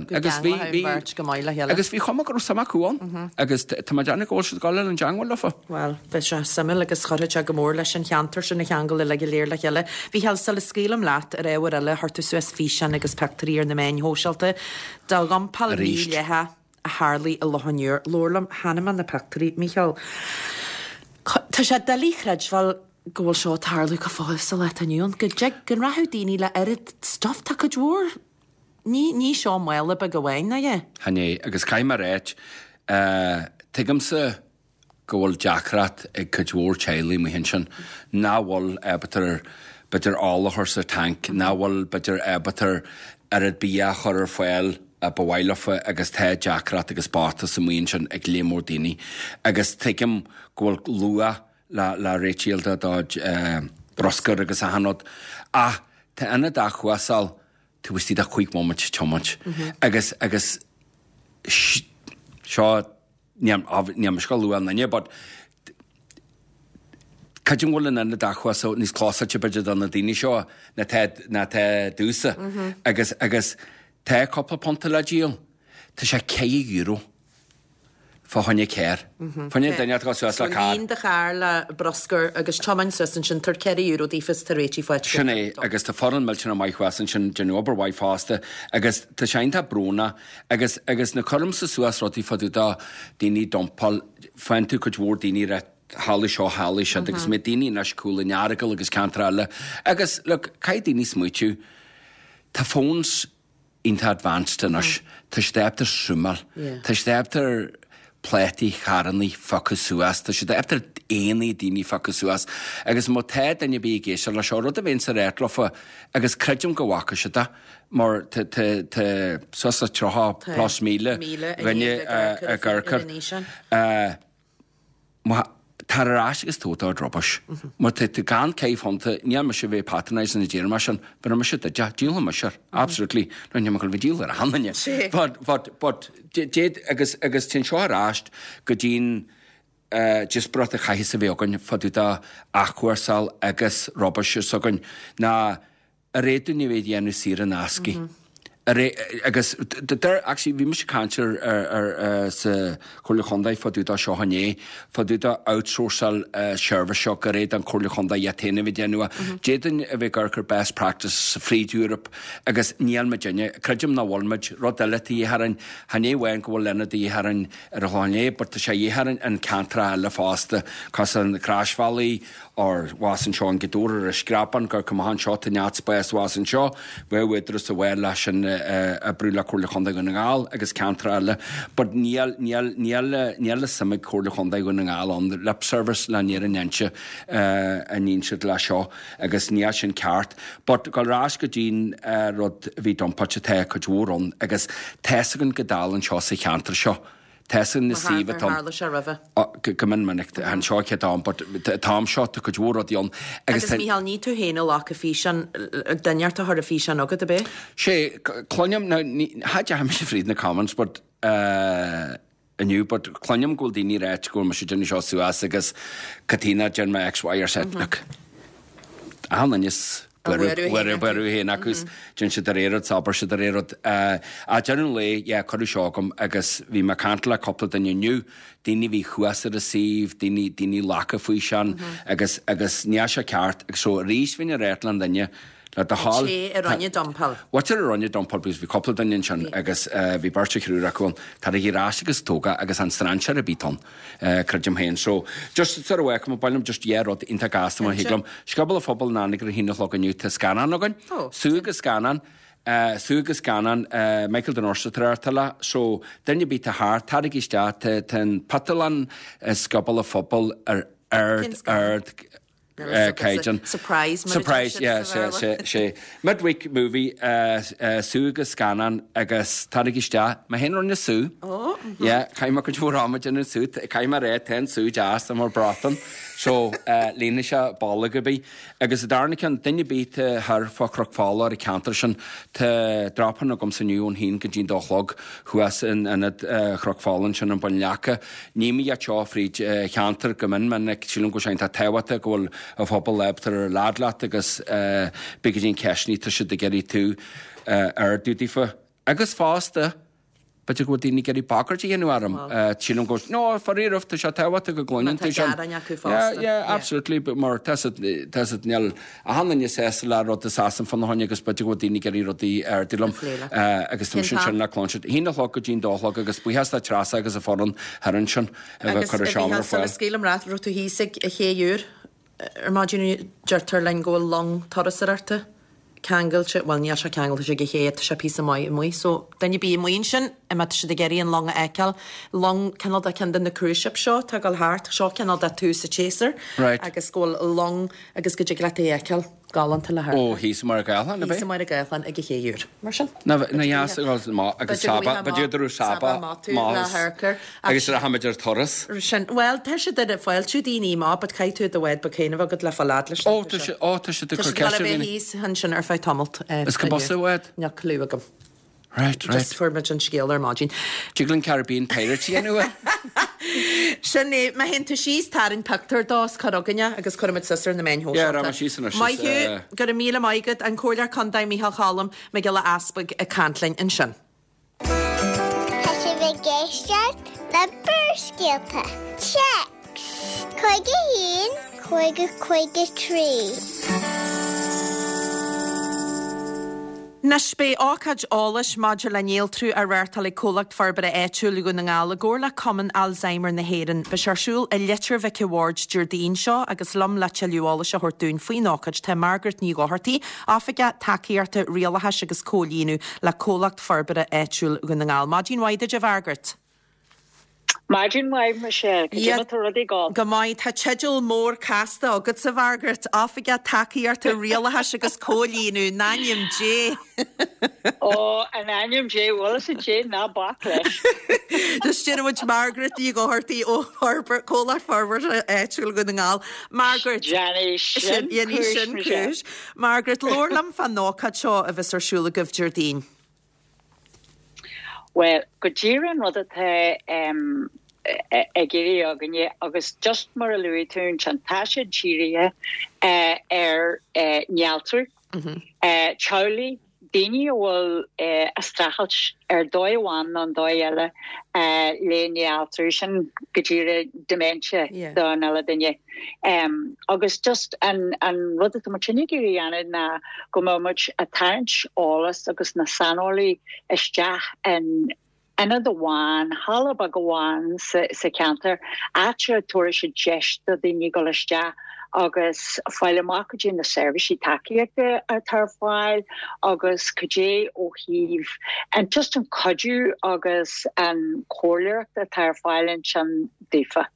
S1: Go
S7: agus bhí
S1: gceanglóidh
S7: bhí
S1: an bheirt go maith le chéile.
S7: agus bhí chuma go raibh suim acu ann agus tá mé ag déanamh go bhfuil siad ag dul ar an dteangmháil leofa.
S1: Bhuel, bheadh sé suimiúil agus chuirfeadh sé go mór leis an cheantar sin a cheangal uilig go léir le chéile. Mhícheál, sula scaoilim leat ar ábhar eile, chuir tú suas físeán agus pictiúirí ar na meáin shóisialta de dhumpáil
S7: Arís.
S1: mídhleathach a tharlaigh i Loch an Iúir. Labhair liom, chonaic mé na pictiúirí, Mícheál. Tá sé doiligh a chreidbheáil go bhfuil seo ag tarlú go fóill sa lá atá inniu ann. Go dtig go rachadh daoine le oiread stuff tá cuid mhór Ní ní seo mála beag amháin, ná ea?
S7: Chan é, agus caithfidh mé a ráit, tuigimse go bhfuil deacracht ag cuid mhór teaghlaigh amuigh ansin nach bhfuil ábalta b'fhéidir ola a chur sa tanc, nach bhfuil b'fhéidir ábalta oiread bia a chur ar fáil a ba mhaith leofa agus tá deacracht agus bochtas amuigh ansin ag léar mór daoine agus tuigim go bhfuil luach le le réitigh do do bruscar agus achan rud ach tá ionad athchúrsáil taobh istigh de chúig bhomaite tiomáint agus agus seo níl níl mise ag lua aon duine but creidim go bhfuil an ionad athchúrsáil níos clósáilte b'fhéidir do na daoine seo ná tá ná tá domhsa agus agus tá cúpla punta le díol. Tá sé ceithre euro fá choinne carr. Fá choinne duine atá suas le carr.
S1: Líon do charr le bruscar agus tiomáin suas ansin, tabhair ceithre euro daofa is tá réitithe faighte.
S7: Sin é, agus tá foireann millteanach maith thuas ansin, déanamh obair mhaith fosta agus tá sé iontach brónach agus agus nuair cuirimse suas rudaí fá dtaobh de daoine dumpáil, faigheann tú cuid mhór daoine ag rá tharla seo, tharla siúd agus mbeidh daoine anois Cúil an Earagail agus ceantar eile agus look, caithfidh daoine smaoitiú, tá phones iontach advanced anois. Tá siad ábalta zoomáil. Tá siad ábalta plátaí carrannaí phiocadh suas. Tá siad ábalta aghaidheanna daoine phiocadh suas. Agus má tá duine ar bith ag éisteacht leis seo, rud a bheinnse ag ráit leofa, agus creidim go bhfaca siad é, mar tá tá tá suas le tríocha plus míle dhuine ag amharc air. Má tar ar ais agus tóg do rubbish. Má tá tú gan ceithre phunta, níl mise a bheith patronising ag déanamh mar sin, bheir mise duit é, díolfaidh mise air, absolutely. No, níl mé chun bheith díol ar achan duine. But, but, but, déad, agus, agus téann seo ar ais go dtí'n díospóireacht a chaithfeas a bheith againn fá dtaobh de athchúrsáil agus rubbish s'againn, ná ar fhéad dúinn a bheith ag déanamh saor in aisce. Agus deir, actually, bhí mise ag caint ar, ar, ar, sa Chomhairle Chontae fá dtaobh de seo inné, fá dtaobh de outsourcáil seirbhís seo gur fhéad an Chomhairle Chontae iad féin a bheith ag déanamh é. D'fhéadfainn a bheith ag amharc ar best practice fríd Europe agus níl muidinne, creidim nach bhfuil muid, rud eile atá de dhíth orainn, chan é amháin go bhfuil ionad de dhíth orainn ar an Chlochán Liath, but tá sé de dhíth orainn in ceantracha eile fosta, cosúil na Croisbhealaí, or abhus anseo in Gaoth Dobhair ar an Screapán, gur cuma anseo tá neart spáis abhus anseo, bheadh údarás a bheith leis sin oibriú le Comhairle Chontae Dhún na nGall agus ceantracha eile, but níl, níl, níl, níl a suim ag Comhairle Chontae Dhún na nGall ann, lip service le an fhírinne inse a níonn siad leis seo agus níl sin ceart. But gabháil ar ais go dtí'n rud a bhí dumpáilte, tá cuid mhór ann agus tá's againn go dtarlaíonn seo sa cheantar seo. Tá san na suíomh atá.
S1: Tharla sé roimhe.
S7: Go mion minic, an seo chéad am, but an t-am seo tá cuid mhór rudaí ann.
S1: Agus Mícheál, ní tú féin a ghlac an físeán, duine inteacht a chuir an físeán chugat, ab é?
S7: Sé, cluinim, now, ní, cha dteachaigh mise fríd na comments, but inniu, but cluinim go bhfuil daoine ag ráit go bhfuil mise ag déanamh seo suas agus cad chuige nár dhein mé X, Y or Z. Look, achan duine is buaireamh féin acu is déanann siad de réir rud 's abair siad de réir rud. Ag deireadh an lae, yeah, cuireadh seo chugam agus bhí mé ag caint le cúpla duine inniu, daoine a bhí thuas ar an suíomh, daoine, daoine a ghlac an físeán agus, agus níl sé ceart. Agus so arís bhínn ag ráit le an duine, le do thoil.
S1: Té a rinne dumpáil.
S7: What's it a rinne dumpáil because bhí cúpla duine ansin agus bhí beirt nó triúr acu ann. Taraigí ar ais agus tóg é agus an strainséir ar bith ann, creidim féin. So, just sort of work, ba mhaith liom just dhá rud iontach gasta má thig liom. Scioból an Phobail in Anagaire ar a haon a chlog inniu, tá scannán againn. Sú agus scannán. Sú agus scannán, Michael de Norsa tar éis So, duine ar bith atá thart, taraigí isteach, tá tá an pictiúrlann i Scioból an Phobail ar ard, ard, caighdeán.
S1: Surprise, mar a deir
S7: Surprise,
S1: siad
S7: yeah,
S1: sa
S7: sé,
S1: Bhéarla.
S7: sé, sé. Midweek movie, sú agus scannán agus taraigí isteach. Mé féin a rinne sú.
S1: Ó, mhm.
S7: Yeah, chaith mé cuid mhór ama ag déanamh sú. Caithfidh mé a rá, tá an sú deas, tá mar bratán. So, líonfaidh sé bolg ar bith. Agus an darna ceann, duine ar bith atá thoir fá Chnoc Fola ar an cheantar sin, tá drop-in agamsa inniu ón haon go dtí an dó a chlog thuas in ionad Chnoc Fola ansin in Bun Leaca. Ní mé iad seo fríd cheantar go mion minic, sílim go bhfuil sé iontach tábhachtach go bhfuil an phobal ábalta ar lead leat agus b'fhéidir go dtí an ceisteanna tá siad ag iarraidh tú a ardú daofa. Agus fosta, b'fhéidir go bhfuil daoine ag iarraidh bagairt a dhéanamh orm. Sílim go bhfuil, no, faraor, tá sé tábhachtach go gcluineann tú sin.
S1: Má tá gearáin acu fosta.
S7: Yeah, yeah, absolutely, but mar tá siad, tá siad, níl achan duine sásta le rud a seasann fána choinne agus b'fhéidir go bhfuil daoine ag iarraidh rudaí a ardú liom. Agus tá mise ansin le cluinstin. Haon a chlog go dtí an dó a chlog agus buíochas le Treasa agus a foireann thoir ansin a bheith ag cur an seomra ar
S1: Agus a Mhícheáil, sula
S7: fáil.
S1: scaoilim leat, raibh tú thíos ag an Ché Úr ar maidin, deirtear linn go bhfuil long turasóireachta Ceangailte, bhuel níl sé ceangailte ag an ché, tá sé píosa maith amuigh, so duine ar bith amuigh ansin, má tá siad ag iarraidh an long a fheiceáil, long cineál de ceann de na cruise ships seo atá ag dul thart, seo cineál de tús an tséasúir
S7: Right.
S1: agus go bhfuil long agus go dtig leat é a fheiceáil, galánta le
S7: Ó, thíos i Machaire Gathlán, ab
S1: Thíos
S7: é?
S1: i Machaire Gathlán ag an Ché Úr. Mar sin.
S7: Na na dheas a dhul amach agus
S1: B'fhéidir go
S7: Saba,
S1: bhfaighfeá
S7: b'fhéidir go raibh
S1: Saba
S7: Saba
S1: amach tú le
S7: maith
S1: hamharc
S7: agus rachaimid ar turas.
S1: Sin, bhuel, tá siad ag fáiltiú daoine amach, but caithfidh tú do bhád beag féin a bheith agat le fáil fhad leis.
S7: Ó, tá sé, ó, tá siad ag
S1: Tá
S7: cur
S1: siad ag dul
S7: ceist
S1: a
S7: ar
S1: bheith
S7: dhaoine.
S1: thíos ansin ar feadh tamalt.
S7: Is cá bus a bhád?
S1: Níl clue agam.
S7: Right, right.
S1: Just fuair muid an scéal ar maidin.
S7: Tig linn Caribbean Pirates a dhéanamh é?
S1: Sin é, má théann tú síos tarraing pictiúr dó is cuir chugainne agus cuirfimid suas ar na meáin shóisialta.
S7: Yeah, rachaidh mé síos anois,
S1: Maith
S7: is,
S1: thú,
S7: eh,
S1: go raibh míle maith agat, an Comhairleoir Contae Micheál Choilm Mac Giolla Easpaig ag caint linn ansin.
S3: Tá sibh ag éisteacht le Barrscéalta. Téacs cúig a haon, cúig a cúig a trí.
S1: Anois beidh ócáid eolais maidir le néaltrú á reáchtáil ag Comhlacht Forbartha Áitiúil Dhún na nGall i gcomhar le Cumann Alzheimer na hÉireann. Beidh sé ar siúl i Leitir Mhic an Bhaird Déardaoin seo agus liom le tuilleadh eolais a thabhairt dúinn faoin ócáid tá Margaret Ní Dhochartaigh, Oifigeach Tacaíochta Rialachais agus Comhlíonadh le Comhlacht Forbartha Áitiúil Dhún na nGall. Maidin mhaith duit a Mhargaret.
S8: Maidin mhaith Michelle, cad é mar tá rudaí ag gabháil.
S1: Go maith tá teideal mór casta agatsa a Mhargaret, Oifigeach Tacaíochta Rialachais agus Comhlíonadh in ainm Dé.
S8: Ó in ainm Dé bhfuil sa Dé ná bac leis.
S1: Just deir Margaret Ní Dhochartaigh ó Comhlacht Forbartha Áitiúil Dhún na nGall. Margaret
S8: Déanfaidh sin
S1: Déanfaidh sin cúis. Margaret labhair liom fán ócáid seo a bheas ar siúl agaibh Déardaoin.
S8: Well, go díreach an rud atá um, ag iarraidh againne agus just mar a luaigh tú an tá sé dírithe uh, ar uh, néaltrú mm -hmm. uh, teaghlaigh daoine a bhfuil uh, ag streachailt ar dóigh amháin nó an dóigh eile uh, le néaltrú sin go díreach dementia
S1: Yeah.
S8: don eile duine. Um, agus just an, an rud atá muid ag iarraidh a dhéanamh ná go mbeidh muid ag tarraingt eolas agus na saineolaithe isteach in ionad amháin, halla beag amháin sa, sa cheantar, áit a dtabharfaidh sé deis do daoine dul isteach agus fáil amach cad é na seirbhísí tacaíochta atá ar fáil agus cad é ó thaobh an just an cuidiú agus an chomhairleoireacht atá ar fáil ansin daofa.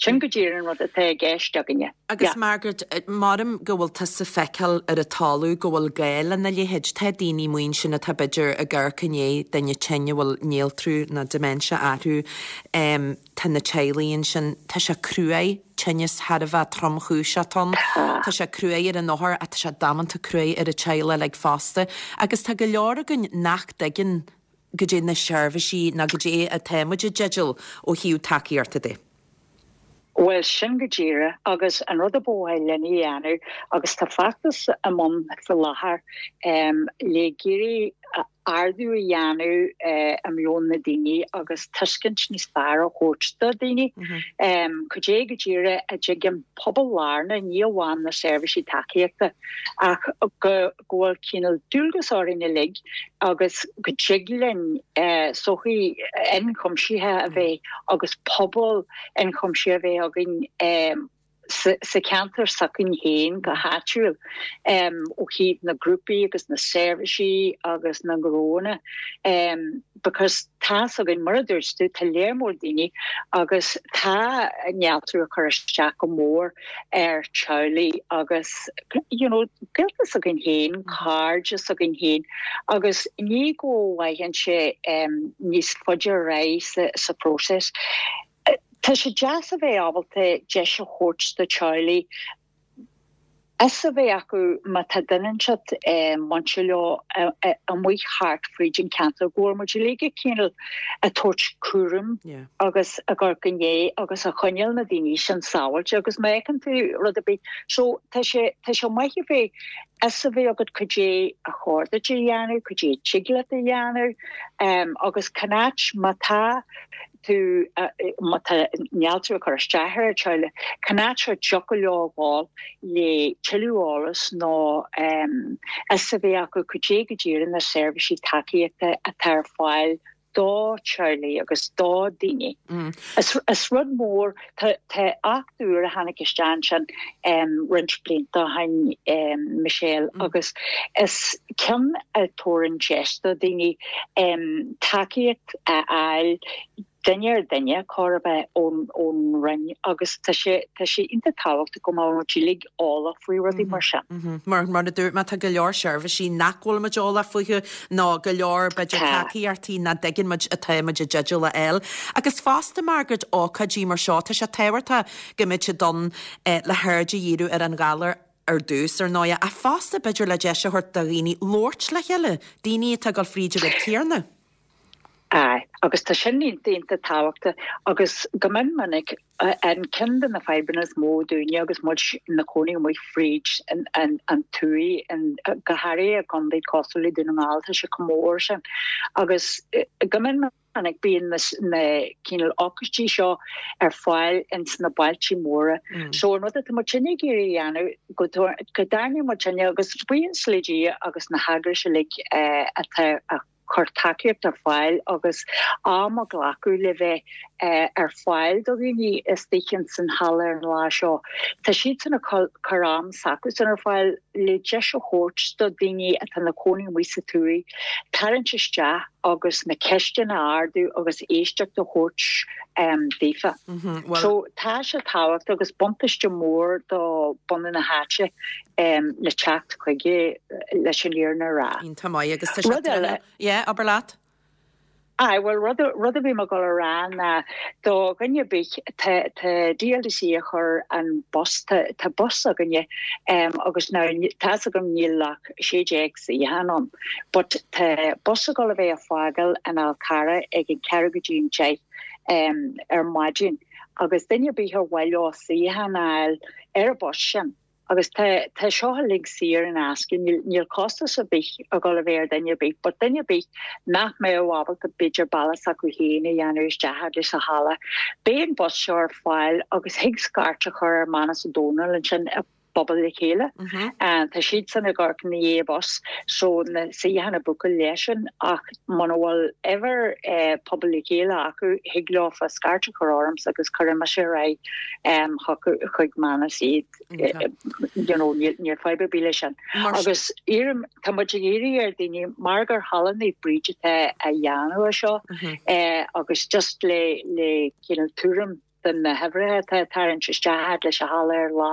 S8: Sin go díreach an rud atá i gceist againne.
S1: Agus
S8: Yeah.
S1: Margaret, maram go bhfuil tusa ag feiceáil ar an talamh go bhfuil gá lena leithéid tá daoine amuigh ansin atá b'fhéidir ag amharc i ndiaidh duine tinn a bhfuil néaltrú nó dementia orthu um, tá na teaghlaigh ansin tá sé cruaidh tinneas thar a bheith tromchúiseach ann Tá sé cruaidh ar an othar ach tá sé damanta cruaidh ar an teaghlach like fosta agus tá go leor againn nach dtuigeann cad é na seirbhísí ná cad é atá muid i dteideal ó thaobh tacaíochta de.
S8: Well sin go díreach agus an rud a ba mhaith linn a dhéanamh agus tá feachtas i mbun faoi láthair um, le iarraidh ardú a dhéanamh uh, i meon na daoine agus tuiscint níos fearr a thabhairt do daoine. Mm -hmm. um, Cad é go díreach a dtig an pobal lárna ní amháin na seirbhísí tacaíochta ach go go bhfuil cineál dualgas orainn uilig agus go dtig linn uh, sochaí ionchuimsithe a bheith agus pobal ionchuimsithe a bheith againn um, sa sa cheantar s'againn féin go háitiúil um, ó thaobh na grúpaí agus na seirbhísí agus na gnónna um, because tá againn mar a dúirt tú tá léir mór daoine agus tá néaltrú ag cur isteach go mór ar teaghlaigh agus you know, gaolta s'againn féin, cairde s'againn féin agus ní go bhfaigheann sé um, níos faide ré sa, sa próiseas. Tá sé deas a bheith ábalta deis a thabhairt do teaghlaigh is a bheith acu má tá duine inteacht bainte leo amuigh thart fríd an ceantar go bhfuil muid uilig cineál ag tabhairt cúram agus a gur gné agus a choinneáil na daoine sin sábháilte agus má fheiceann tú rud ar bith. So tá sé tá sé maith a bheith is a bheith agat cad é a chóir duit a dhéanamh, cad é tig leat a dhéanamh um, agus cá háit má tá tú má tá néaltrú ag cur isteach ar teaghlach cá háit a dtiocfadh leo ghabháil le tuilleadh eolas nó um, is a bheith acu cad é go díreach na seirbhísí tacaíochta atá ar fáil do teaghlaigh agus do daoine. Is is rud mór tá tá acht úr a tháinig isteach ansin roinnt blianta ó shin Michelle agus is ceann a thabharann deis do daoine tacaíocht a fháil duine ar duine chor ar bith ón ón Roinn agus tá sé tá sé iontach tábhachtach go mbeadh muid uilig eolach faoi rudaí mar sin.
S1: Mar mar a dúirt mé tá go leor seirbhísí nach bhfuil muid eolach fúthu nó go leor b'fhéidir tacaíochtaí nach dtuigeann muid atá muid i dteideal a fháil. Agus fosta Margaret ócáidí mar seo tá sé tábhachtach go mbeidh siad ann le haird a dhíriú ar an ghalar ar dtús ar ndóigh ach fosta b'fhéidir le deis a thabhairt do dhaoine labhairt le chéile, daoine atá ag dul fríd an rud céanna.
S8: Aye, agus tá sin iontach tábhachtach agus go mion minic an ceann de na fadhbanna is mó dúinne agus muid ina cónaí amuigh fríd an an an tuath an go háirithe i gcontae cosúil le Dún na nGall tá sé chomh mór sin agus go mion minic bíonn na na cineál ócáidí seo ar fáil ins na bailte móra. So an rud atá muidinne ag iarraidh a dhéanamh go go dtarraingeoidh muidinne agus buíochas le Dia agus na heagrais uilig atá a cur tacaíocht ar fáil agus am a ghlacadh le bheith ar fáil do dhaoine istigh ins an halla ar an lá seo. Tá siadsan ag cur am s'acusan ar fáil le deis a thabhairt do dhaoine atá ina cónaí amuigh sa tuath tarraingt isteach agus na ceisteanna a ardú agus éisteacht a thabhairt daofa. So tá sé tábhachtach agus buntáiste mór do bunadh na háite le teacht chuige leis an fhírinne a rá.
S1: Iontach maith agus tá sé
S8: Rud eile.
S1: Yeah, abair leat.
S8: Aye, bhuel rud rud a bhí mé ag dul a rá ná do dhuine ar bith tá tá DLDC a chur an bus tá tá bus againne um, agus now tá's agam níl ach sé déag suíochán ann but tá bus ag dul a bheith ag fágáil an Fhál Carrach ag an ceathrú go dtí an deich um, ar maidin agus duine ar bith ar mhaith leo suíochán a fháil ar an bus sin. Agus tá tá seo uilig saor in aisce, níl níl costas ar bith ag dul a bheith ar duine ar bith, but duine ar bith nach mbeadh ábalta b'fhéidir bealach s'acu féin a dhéanamh isteach agus sa halla. Beidh an bus seo ar fáil agus thig scairt a chur ar Manus Ó Dónaill ansin i bPobal le Chéile. Tá siadsan ag amharc ina dhiaidh bus so na suíocháin a bhookáil leisean ach muna bhfuil uimhir Pobal le Chéile acu thig leofa scairt a chur ormsa agus cuirfidh mise ar aghaidh chucu chuig Manus iad you know níl níl fadhb ar bith leis sin. Agus iarraim tá muid ag iarraidh ar daoine mar gur Halla Naomh Bríd atá á dhéanamh ar seo agus just le le cineál tuairim de na huimhreacha atá ag tarraingt isteach fhad leis an halla ar lá.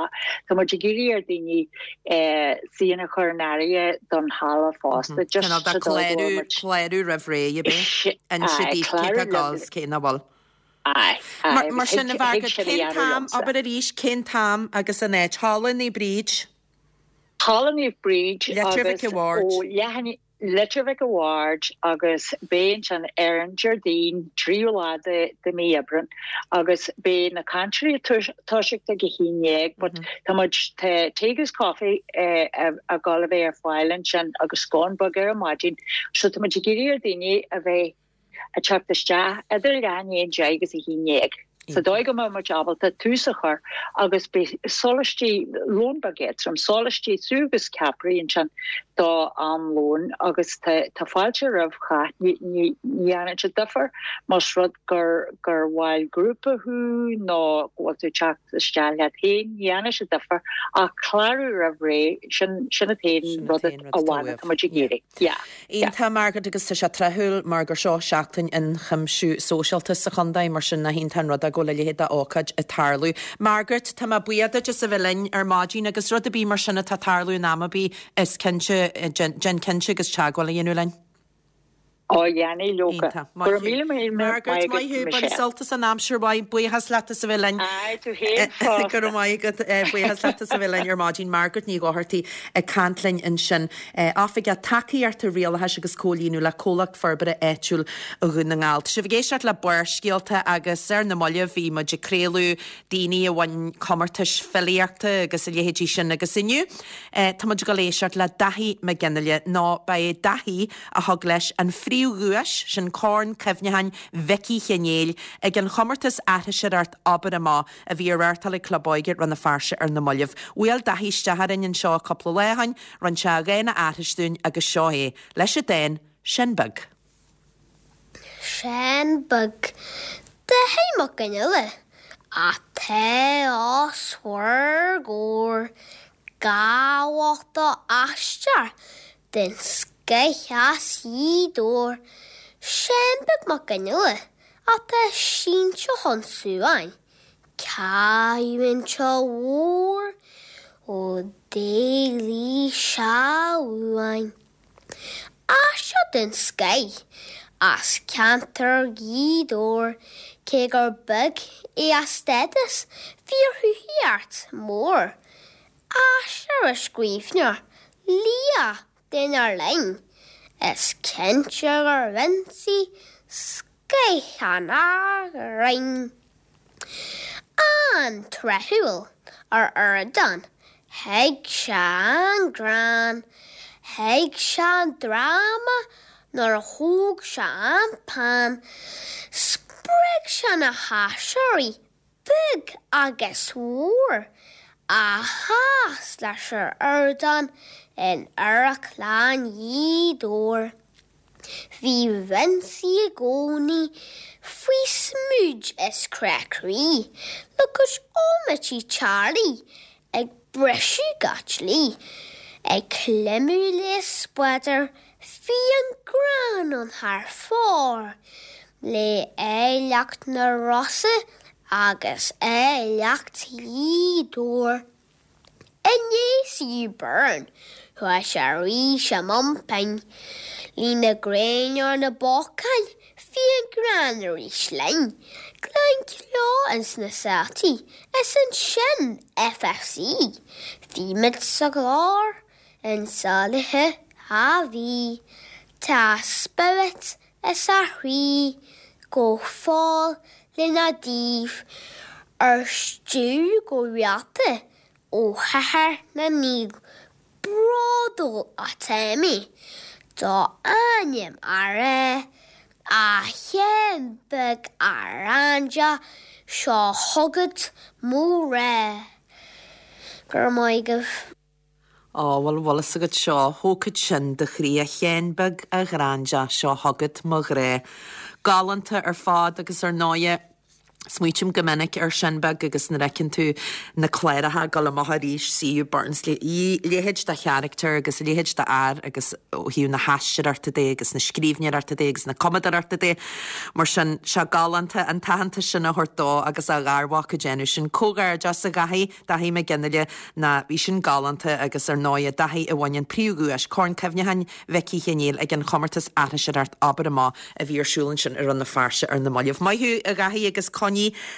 S8: Tá muid ag iarraidh ar daoine suíochán a chur in áirithe don halla fosta just
S1: Cineál de
S8: sa dóigh go
S1: clárú
S8: bhfuil muid
S1: clárú roimh ré, ab é? Inse
S8: Aye,
S1: daoibh cé
S8: clárú
S1: tá ag
S8: roimh
S1: dul 's cé nach bhfuil.
S8: Aye, aye,
S1: Mar mar
S8: agus
S1: sin
S8: thig
S1: a
S8: thig
S1: Mhargaret,
S8: sin a
S1: cén
S8: dhéanamh
S1: t-am,
S8: liomsa.
S1: abair arís, cén t-am agus an áit? Halla Naomh Bríd?
S8: Halla Naomh Bríd
S1: Leitir Mhic
S8: agus
S1: a' Bhaird.
S8: ó leath Leitir Mhic a' Bhaird agus beidh ansin ar an Déardaoin tríú lá de de mí Aibreán agus beidh na cainteoirí ag toiseacht ag a haon dhéag but tá muid tá tae agus caife ag dul a bheith ar fáil ansin agus scone beag ar an maidin so tá muid ag iarraidh ar daoine a bheith ag teacht isteach idir leath i ndiaidh a deich agus a haon dhéag. Sa dóigh go mbeidh muid ábalta tús a chur agus beidh sólaistí, lón beag éadrom, sólaistí, sú agus ceapairí ansin do am lóin agus tá tá fáilte roimh chách. Ní ní ní dhéanann sé difear más rud gur gur bhall grúpa thú nó go bhfuil tú ag teacht isteach leat féin, ní dhéanann sé difear ach clárú roimh ré, sin sin an t-aon
S1: Sin an
S8: rud
S1: t-aon rud atá
S8: amháin
S1: uaibh.
S8: atá muid ag
S1: Yeah.
S8: iarraidh. Yeah. Yeah.
S1: Iontach Margaret agus tá sé tráthúil mar gur seo seachtain ionchuimsiú sóisialta sa chontae mar sin nach iontach an rud é go bhfuil a leithéid d'ócáid ag tarlú. Margaret, tá mé buíoch duit as a bheith linn ar maidin agus rud ar bith mar sin atá ag tarlú in am ar bith is cinnte déan cinnte agus teagmháil a dhéanamh linn.
S8: Ó dhéanfaidh leoga.
S1: Iontach.
S8: Go
S1: Maith
S8: raibh
S1: thú.
S8: míle míle
S1: Margaret,
S8: maith
S1: maith
S8: agat
S1: thú. Bain
S8: Michelle.
S1: sult as an aimsir mhaith. Buíochas leat as a bheith linn.
S8: Aye, tú féin
S1: Go raibh
S8: fosta.
S1: maith agat. Buíochas leat as a bheith linn ar maidin. Margaret Ní Dhochartaigh ag caint linn ansin. Oifigeach Tacaíochta Rialachais agus Comhlíonadh le Comhlacht Forbartha Áitiúil Dhún na nGall. Tá sibh ag éisteacht le Barrscéalta agus ar na mallaibh bhí muid ag craoladh daoine a bhain comórtais filíochta agus a leithéidí sin agus inniu. Tá muid ag dul éisteacht le Daithí Mac Fhionnghaile nó ba é Daithí a thug leis an phríomhdhuais sin Corn Cuimhneacháin Mhicí Chinéil ag an chomórtas aithriseoireacht Abair Amach a bhí á reáchtáil ag Club Óige Rann na Feirste ar na mallaibh. Bhuail Daithí isteach orainn anseo cúpla lá ó shin, rinne sé a dhán a aithris dúinn agus seo é, leis an dán Sin Beag.
S3: Seán Beag Daithí Mac Fhionnghaile atá os bhur gcomhair Gabhach d'aisteoir den scoith as Gaoth Dobhair Seán Beag Mac Fhionnghaile atá sínte chun suain Cailliúint mhór ó d'éalaigh sé uainn. Aisteoir den scoith as ceantar Ghaoth Dobhair, cé gur beag é a stádas, bhí a chruthaíocht mór. Aisteoir is scríbhneoir, laoch dár linn, is cinnte gur Vincie scoith an ghrinn. An-tráthúil ar ardán, thuig sé an greann, thuig sé an dráma nuair a thóg sé an peann, spreag sé na haisteoirí beag agus mór a sheas leis ar ardán in Amharclann Ghaoth Dobhair. Bhí Vincie i gcónaí faoi smúid is crá croí le cois almighty Charlie ag briseadh gach dlí, ag creimeadh le spleodar, bhí an greann ann thar fóir le áilleacht na Rosa agus áilleacht Ghaoth Dobhair. I ndiaidh C U Byrne, chuaigh sé arís i mbun pinn. Lena ghreann ar na bacáin, bhí an greann arís linn. Gleann Cló ins na Saltaí, is ansin F F C. Bhí muid sa gclár in sa oíche a bhí. Tá a spiorad is a chroí go fóill lena dtaobh ar stiúir go rialta ó Chathair na nGael. Bródúil atá mé do ainm a rá, a Sheáin Bhig a Ghrainde, seo chugat mo ghrá. Go raibh maith agaibh.
S1: Á, bhfuil bhfuil fhios agat seo, thógfadh sin do chroí a Sheáin Bhig a Ghrainde, seo chugat mo ghrá. Galánta ar fad agus ar ndóighe smaoiním go minic ar Seán Beag agus nuair a fheiceann tú na cláracha ag dul amach arís C U Burns leithéid de charachtar agus leithéid de fhear agus ó thaobh na haisteoireachta de agus na scríbhneoireachta de agus na cumadóireachta de mar sin sé galánta an t-aitheantas sin a thabhairt dó agus a gharmhac ag déanamh sin comhghairdeas a Dhaithí Daithí Mac Fhionnghaile ná bhí sin galánta agus ar ndóighe Daithí a bhain an príomhdhuais Corn Cuimhneacháin Mhicí Chéiníl ag an chomórtas aithriseoireacht Abair Amach a bhí ar siúl ansin i Rann na Feirste ar na mallaibh. Maith thú a Dhaithí agus coinnigh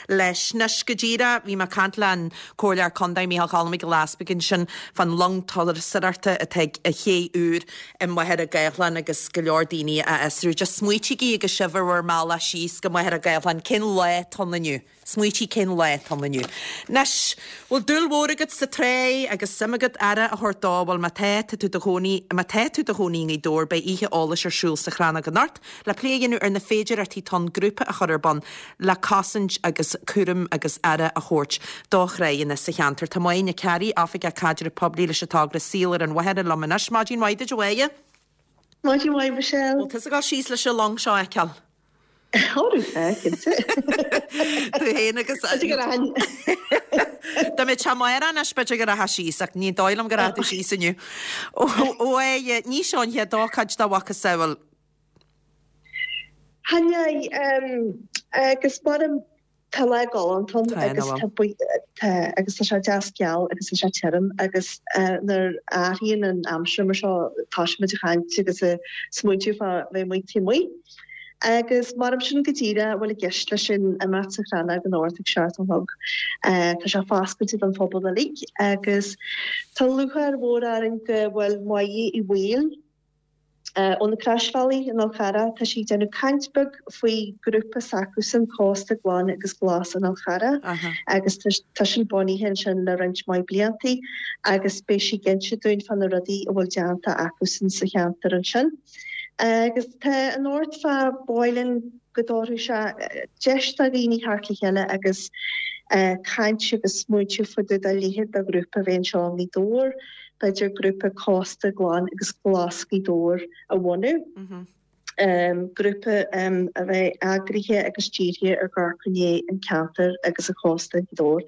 S1: leis anois go díreach bhí mé ag caint le an Comhairleoir Contae Micheál Choilm Mac Giolla Easpaig ansin fán long turasóireachta atá ag an chéad uair i Machaire Gathlán agus go leor daoine a fhiosrú. Just smaoitígí agus sibh ar bhur mbealach síos go Machaire Gathlán cén lá atá ann inniu. Smaoitigh cén lá atá ann inniu. Anois, bhfuil dúil mhór agat sa trá agus suim agat aire a thabhairt dó, bhuel má tá tá tú do chónaí má tá tú do chónaí i nGaoth Dobhair beidh oíche eolais ar siúl sa Chrannóg anocht le plé a dhéanamh ar na féidearthachtaí atá ann grúpa a chur ar bun le cosaint agus cúram agus aire a thabhairt do thráigheanna sa cheantar. Tá Máire Nic Cearraigh, Oifigeach Caidreamh Poiblí leis an togra Saol ar an Mhachaire liom anois. Maidin mhaith duit a Mháire.
S9: Maidin mhaith Michelle.
S1: Bhfuil tusa ag dul síos leis an long seo a fheiceáil?
S9: cinnte.
S1: Tú féin agus Tá mé te anois b'fhéidir go rachfá síos ach ní dóigh liom go rachaidh tú síos inniu. Ó ní seo an chéad ócáid dá mhacasamhail.
S9: Hanne agus mar tá lá galánta agus tá agus tá sé deas geal agus tá sé tirim agus nuair a athraíonn an aimsir mar seo tá muid ag caint agus smaointiú fá bheith amuigh taobh amuigh. Agus mar sin go díreach bhfuil i gceist leis sin imeacht sa Chrannóg anocht ag seacht a chlog. Tá sé foscailte don phobal uilig agus tá lúcháir mhór orainn go bhfuil Máire Uí Bhaoill ó na Croisbhealaí in Fhál Charrach tá sí ag déanamh caint beag faoi grúpa s'acusan Cósta Glan agus Glas in Fhál Charrach agus tá sin bunaithe ansin le roinnt mhaith bliantaí agus beidh sí ag inse dúinn fá na rudaí a bhfuil déanta acusan sa cheantar ansin. Agus tá anocht fá báilin go dtabharfaidh sé deis do dhaoine theacht le chéile agus caint agus smaointiú fá dtaobh de leithéid de ghrúpa a bheith anseo i nGaoth Dobhair, b'fhéidir grúpa Cósta Glan agus Glas Ghaoth Dobhair a bhunú. Grúpa a bheidh eagraithe agus dírithe ar dhul i ndiaidh an ceantar agus an chósta i Ngaoth Dobhair.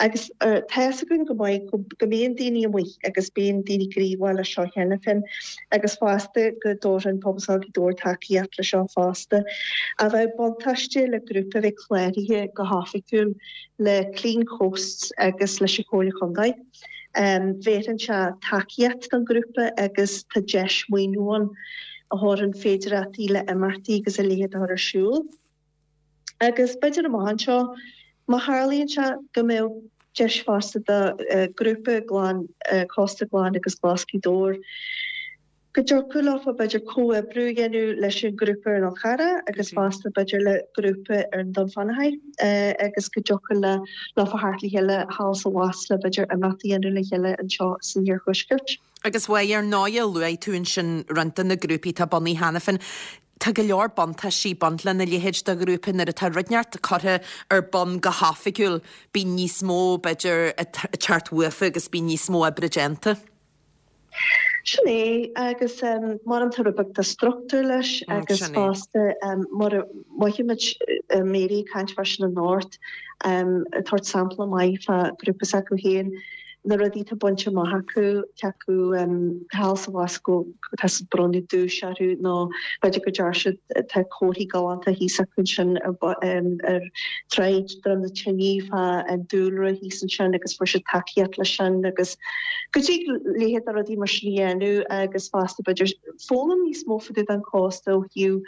S9: Agus tá fhios againn go maith go mbíonn daoine amuigh agus bíonn daoine gníomhach leis seo cheana féin agus fosta go dtabharfaidh Pobalscoil Ghaoth Dobhair tacaíocht leis seo fosta. Ach bheadh buntáiste le grúpa a bheith cláraithe go hoifigiúil le Clean Coasts agus leis an Chomhairle Chontae. Bhéarfaidh sé tacaíocht don ghrúpa agus tá deis maoiniú ann a thabharfaidh féidearthachtaí le imeachtaí agus a leithéid a chur ar siúl. Agus b'fhéidir amach anseo, má tharlaíonn sé, go mbeadh deis fosta do ghrúpa glan, Cósta Glan agus Glas Ghaoth Dobhair, go dtiocfadh leofa b'fhéidir comhoibriú a dhéanamh leis an ghrúpa ar an Fhál Charrach agus fosta b'fhéidir le grúpa ar an Dún Fionnachaidh agus go dtiocfadh le leofa theacht le chéile thall is abhus le b'fhéidir imeacht a dhéanamh le chéile anseo san iarthuaisceart.
S1: Agus bhuel, ar ndóighe, luaigh tú ansin roinnt de na grúpaí atá bunaithe cheana féin. Tá go leor buntáistí ag baint lena leithéid de ghrúpa nuair atá rud inteacht curtha ar bun go hoifigiúil, bíonn níos mó, b'fhéidir, ag teacht uafa agus bíonn níos mó oibre déanta.
S9: Sin é, agus mar tá rud beag de struchtúr leis agus fosta mar a mhothaímid Mary ag caint fá sin anocht, ag tabhairt sampla maith fá ghrúpa s'acu féin, na rudaí atá bainte amach acu, cé acu thall is abhus go tá siad bronnadh duais orthu nó b'fhéidir go deir siad tá comharthaí galánta thíos acu ansin ar ar tráigh Droim na Tine fá an dúlra thíos ansin agus fuair siad tacaíocht leis sin agus go dtig leithéid de rudaí mar sin a dhéanamh agus fosta b'fhéidir foghlaim níos mó fá dtaobh den chósta ó thaobh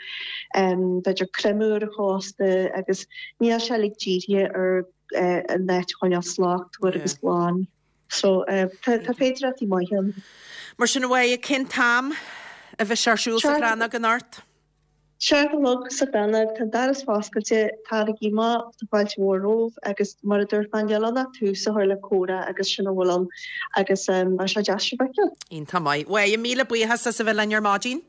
S9: b'fhéidir creimeadh ar an chósta agus níl sé uilig dírithe ar an áit a choinneáil slachtmhar agus glan. So tá féidearthachtaí maithe ann.
S1: Mar sin a Mháire, cén t-am a bheidh sé ar siúl sa Chrannóg anocht?
S9: Seacht a chlog sa Chrannóg, tá an doras foscailte, taraigí amach, tá fáilte mhór romhaibh agus mar a dúirt mé, níl ann ach tús a chur le comhrá agus sin a bhfuil ann agus beidh sé deas sibh a fheiceáil.
S1: Iontach maith. Mháire, míle buíochas as a bheith linn ar maidin.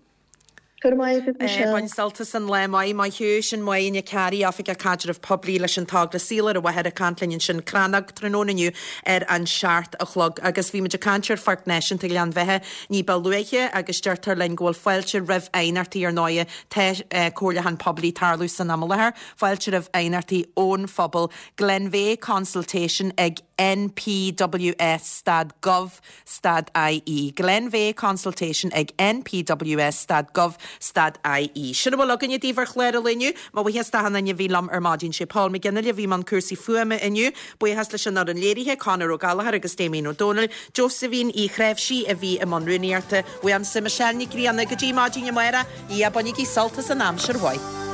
S9: Go raibh maith agat, Michelle.
S1: Bain sult as an lá maith, maith thú. Sin Máire Nic Fhearraigh, Oifigeach Caidrimh Poiblí leis an t-Óglaigh Saol ar an Mhachaire ag caint linn ansin Crannóg tráthnóna inniu ar an seacht a chlog. Agus bhí muid ag caint ar Pháirc Náisiúnta Ghleann Bheatha ní ba luaithe agus deirtear linn go bhfuil fáilte roimh aighneachtaí ar ndóighe tá comhairliúchán poiblí ag tarlú san am i láthair. Fáilte roimh aighneachtaí ón phobal. Glenveagh Consultation ag npws stad gov stad ie. Glenveagh Consultation ag npws stad gov stad ie. Sin a bhfuil againne daoibh ar chlár an lae inniu. Mo bhuíochas d'achan duine a bhí liom ar maidin. Sé Paul McGinley a bhí i mbun cúrsaí fuaime inniu. Buíochas leis an fhoireann léirithe, Conor Ó Gallchóir agus Damien Ó Dónaill. Josephine Uí Chreimhsí a bhí i mbun rúnaíochta. Uaimse Michelle Nic Grianna go dtí maidin amárach. Ia, bainigí sult as an aimsir mhaith.